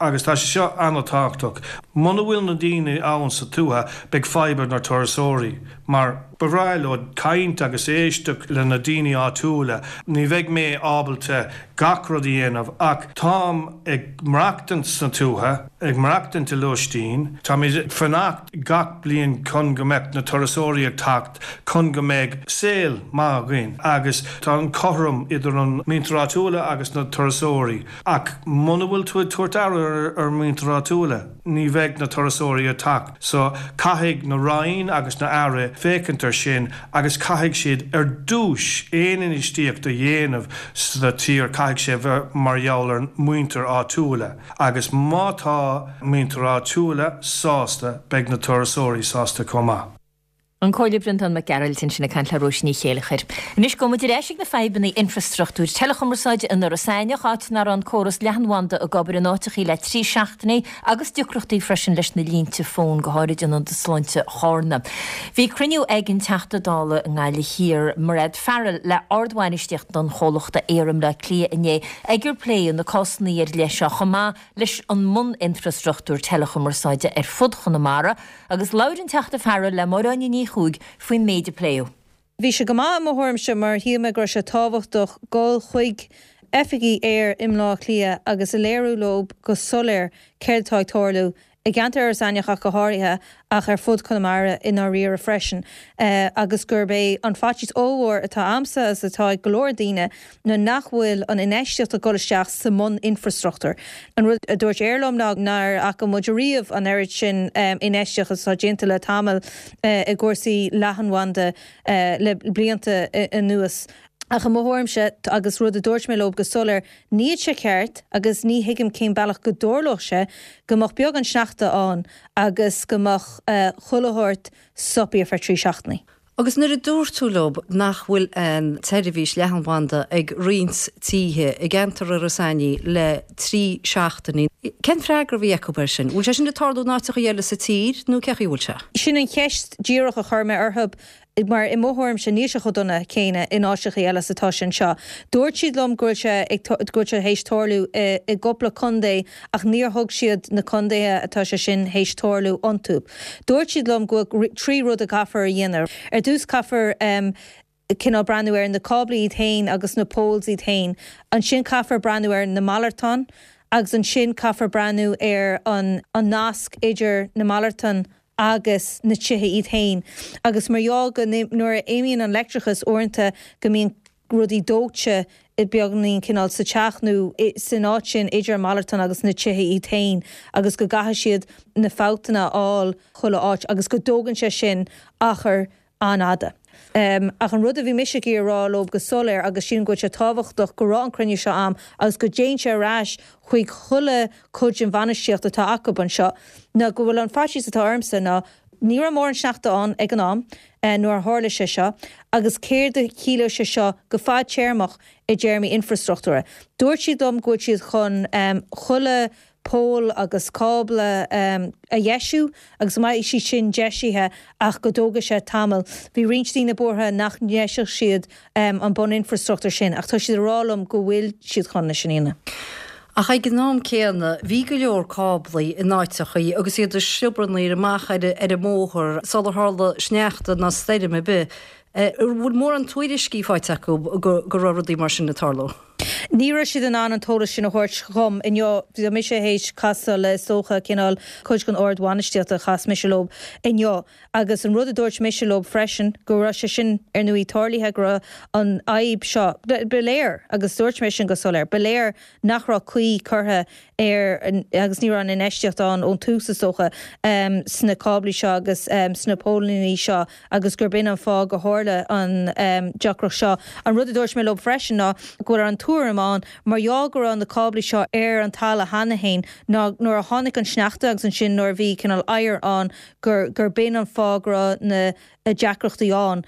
agus tá sé seo an-tábhachtach, muna bhfuil na daoine ann sa tuath, beidh fadhb ar na turasóirí mar ba bhreá leo caint agus éisteacht le na daoine áitiúla. Ní bheidh mé ábalta gach rud a dhéanamh ach táim ag maireachtaint sna tuaithe, ag maireachtaint i lóistín, táimid ag fanacht gach bliain chun go mbeadh na turasóirí ag teacht, chun go mbeidh saol maith againn agus tá an cothrom idir an muintir áitiúla agus na turasóirí ach muna bhfuil tú ag tabhairt aire ar muintir áitiúla, ní bheidh na turasóirí ag teacht. So caithfidh na Roinn agus na Aire féachaint ar sin agus caithfidh siad ar dtús aon infheistíocht a dhéanamh sa tír caithfidh sé bheith mar gheall ar muintir áitiúla agus má tá muintir áitiúla sásta beidh na turasóirí sásta chomh maith. An Comhairleoir Breandán Mac Gearailt ansin ag caint le Róise Ní Chéilleachair. Anois gabhfaidh muid ar ais ag na fadhbanna infrastruchtúir teileachumarsáide in Iorras Aithneach, áit nach raibh an córas leathanbhanda ag obair in áiteachaí le trí seachtainí agus deacrachtaí freisin leis na línte fóin, go háirid in Ionad Sláinte Chárna. Bhí cruinniú ag an Teachta Dála i nGaillimh Thiar, Mairéad Farrell, le ardbhainistíocht an chomhlachta Eir i mBleá Cliath inné ag ar pléadh na cásanna ar leith seo chomh maith leis an mbun-infrastruchtúr teileachumarsáide ar fud Chonamara agus labhair an Teachta Farrell le Máire Áine Ní Chuaig faoin méid a pléadh. Bhí sé go maith i mo thuairimse mar shíl mé go raibh sé tábhachtach dul chuig oifigí Eir i mBleá Cliath agus a léiriú leo go soiléir céard atá ag tarlú i gceantar Iorras Aithneach ach go háirithe ach ar fud Chonamara i ndáiríre freisin agus gurb é an faitíos ollmhór atá a'msa agus atá ag go leor daoine ná nach bhfuil an infheistíocht ag dul isteach sa mbun-infrastruchtúr. An rud a dúirt Eir liom ná nár fhaca muid ariamh an oiread sin infheistíocht atá déanta le tamall i gcúrsaí leathanbhanda le blianta anuas. Ach i mo thuairimse, agus rud a dúirt mé leo go soiléir, níl sé ceart agus ní thuigim cén bealach go dtarlódh sé go mbeadh beagán sneachta ann agus go mbeadh chuile shórt stoptha ar feadh trí seachtainí. Agus nuair a dúirt tú leo nach bhfuil an tseirbhís leathanbhanda ag roinnt tithe i gceantar Iorras Aithnigh le trí seachtainí, cén freagra a bhí acu air sin? Bhfuil sé sin ag tarlú in áiteacha eile sa tír nó cé chaoi a bhfuil sé? Sin an cheist díreach a chuir mé orthu. Mar i mo thuairimse níl sé chomh dona céanna in áiteacha eile is atá sé anseo. Dúirt siad liom go bhfuil sé ag go bhfuil sé théis tarlú i i gcúpla contae ach níor thug siad na contaetha atá sé sin théis tarlú iontu. Dúirt siad liom go bhfuil trí rud a caithfear a dhéanamh. Ar dtús caithfear cineál breathnú ar na cáblaí iad féin agus na poles iad féin. Ansin caithfear breathnú ar na malartáin agus ansin caithfear breathnú ar an an nasc idir na malartáin agus na tithe iad féin agus mar gheall go nuair a imíonn an leictreachas uaireanta go mbíonn rudaí dóite beagáinín cineál sa teach nó san áit sin idir an malartán agus na tithe iad féin agus go gcaithfidh siad na fabhtanna a fháil chuile áit agus go dtógann sé sin achar an-fhada. Ach an rud a bhí mise ag iarraidh a rá leo go soiléir agus sílim go bhfuil sé tábhachtach go raibh an cruinniú seo a'm agus go dtéann sé ar ais chuig chuile chuid den bhainistíocht atá acu anseo ná go bhfuil an faitíos atá ormsa ná ní raibh mórán sneachta ann ag an am nuair a tharla sé seo agus céard a chiallódh sé seo go fadtéarmach i dtéarmaí infreastruchtúra. Dúirt siad liom go bhfuil siad chun chuile poll agus cábla a dheisiú agus go mbeidh siad sin deisithe ach go dtógfaidh sé tamall. Bhí roinnt daoine buartha nach ndeiseodh siad an bun-infreastruchtúr sin ach tá siad ag rá liom go bhfuil siad chun é sin a dhéanamh. Ach ag an am céanna, bhí go leor cáblaí in áiteachaí agus iad ag sliobarnaíl amach ar an mbóthar sular tharla sneachta ná stoirm ar bith. An bhfuil mórán tuairiscí faighte acu go raibh rudaí mar sin ag tarlú? Ní raibh siad in ann an t-eolas sin a thabhairt dhom inniu. Bhí mise théis casadh le is dócha cineál cuid den ard-bhainistíocht a chas mise leo inniu agus an rud a dúirt mise leo freisin go raibh sé sin ar ndóigh tarlaithe go raibh an fhadhb seo, ba léir agus dúirt mé sin go soiléir, ba léir nach raibh caoi curtha ar agus ní raibh an infheistíocht ann ón tús is dócha sna cáblaí seo agus sna póilíní seo agus gurb in an fáth go tharla an deacracht seo. An rud a dúirt mé leo freisin ná go bhfuil an tuairim ann mar gheall go raibh na cáblaí seo ar an talamh cheana féin ná nuair a tháinig an sneachta agus ansin nuair a bhí cineál oighear ann gur gurb in an fáth go raibh na deacrachtaí ann.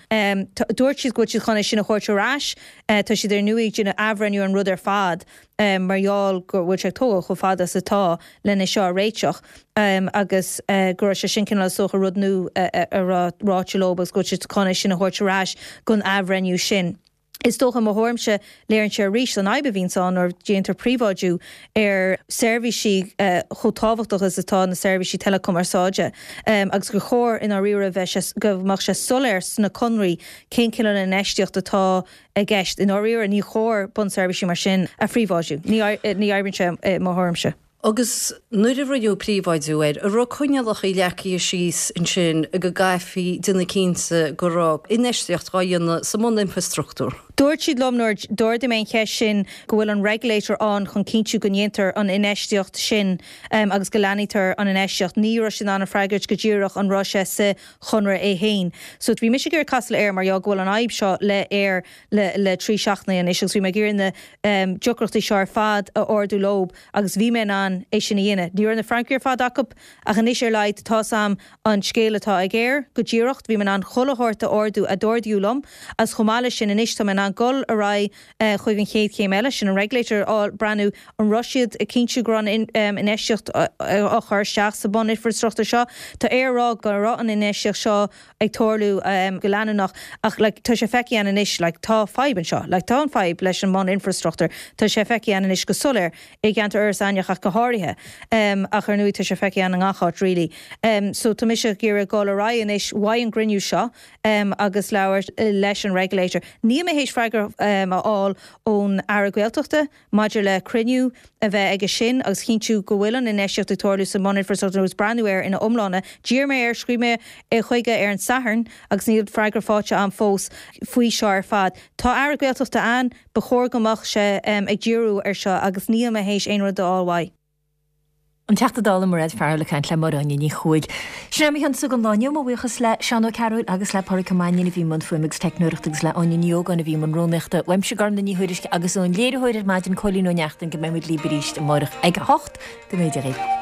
Dúirt siad go bhfuil siad chun é sin a thabhairt ar ais. Tá siad ar ndóigh ag déanamh athbhreithniú ar an rud ar fad mar gheall go bhfuil sé ag tógáil chomh fada is atá lena seo a réiteach agus go raibh sé sin cineál is dócha rud nua a raibh ráite leo agus go bhfuil siad chun é sin a thabhairt ar ais don athbhreithniú sin. Is dócha, i mo thuairimse, léiríonn sé arís an fhadhb a bhíonns ann nuair a déantar príobháidiú ar seirbhísí chomh tábhachtach is atá na seirbhísí teileachumarsáide agus gur chóir i ndáiríre bheith sé, go mbeadh sé soiléir sna conraí cén cineál infheistíocht atá i gceist. I ndáiríre, ní chóir bunseirbhísí mar sin a phríobháidiú. Ní oibríonn sé i mo thuairimse. Agus nuair a rinneadh príobháidiú air, an raibh coinníollacha leagtha síos ansin go gcaithfí déanamh cinnte go raibh infheistíocht á dhéanamh sa mbun-infreastruchtúr? Dúirt siad liom nuair d'ardaigh mé an cheist sin go bhfuil an regulator ann chun cinntiú go ndéantar an infheistíocht sin agus go leathnaítear an infheistíocht. Ní raibh siad in ann a freagairt go díreach an raibh sé sa chonradh é féin. So bhí mise ag iarraidh casadh le Eir mar gheall go bhfuil an fhadhb seo le Eir le le trí seachtaine anois agus bhí mé ag iarraidh na deacrachtaí seo ar fad a ardú leo agus bhí mé in ann é sin a dhéanamh. Ní raibh na freagraí ar fad acu ach anois ar laghad tá 's a'm an scéal atá ag Eir go díreach, bhí mé in ann chuile shórt a ardú a d'ardaíodh liom agus chomh maith leis sin anois tá mé in ann dul ar aghaidh chuig an chéad chéim eile, sin an regulator a fháil, breathnú an raibh siad ag cinntiú go raibh an infheistíocht á chur isteach sa bhun-infreastruchtúr seo. Tá Eir ag rá go raibh an infheistíocht seo ag tarlú go leanúnach ach like tá sé feicthe againn anois like tá fadhb anseo, like tá an fadhb leis an mbun-infreastruchtúr, tá sé feicthe againn anois go soiléir i gceantar Iorras Aithneach ach go háirithe ach ar ndóigh tá sé feicthe againn i ngach áit really. So tá mise ag iarraidh dul ar aghaidh anois uaidh an gcruinniú seo agus labhairt leis an regulator. Níl mé théis freagra a fháil ón Aire Gaeltachta maidir le cruinniú a bheith aige sin agus chinntiú go bhfuil an infheistíocht ag tarlú sa mbun-infreastruchtúr agus breathnú air ina iomláine. D'iarr mé air, scríobh mé chuige ar an Satharn agus níl freagra faighte agam fós faoi seo ar fad. Tá Aire Gaeltachta ann, ba chóir go mbeadh sé ag díriú ar seo agus níl mé théis aon rud a fháil uaidh. An Teachta Dála Mairéad Farrell ag caint le Máire Áine Ní Chomhaill. Sin é mo chionsa don lá inniu, mo bhuíochas le Seán Ó Cearúil agus le Pádraig Ó Mainnín a bhí i mbun fuaime agus teicneoireachta agus le Áine Ní Ógáin a bhí i mbun rúnaíochta. Uaimse Gormfhlaith Ní Thuairisg agus ón léiritheoir ar maidin Cóilín Ó Neachtain go mbeidh muid libh arís amárach ag a hocht. Go mbeidh Dia dhaoibh.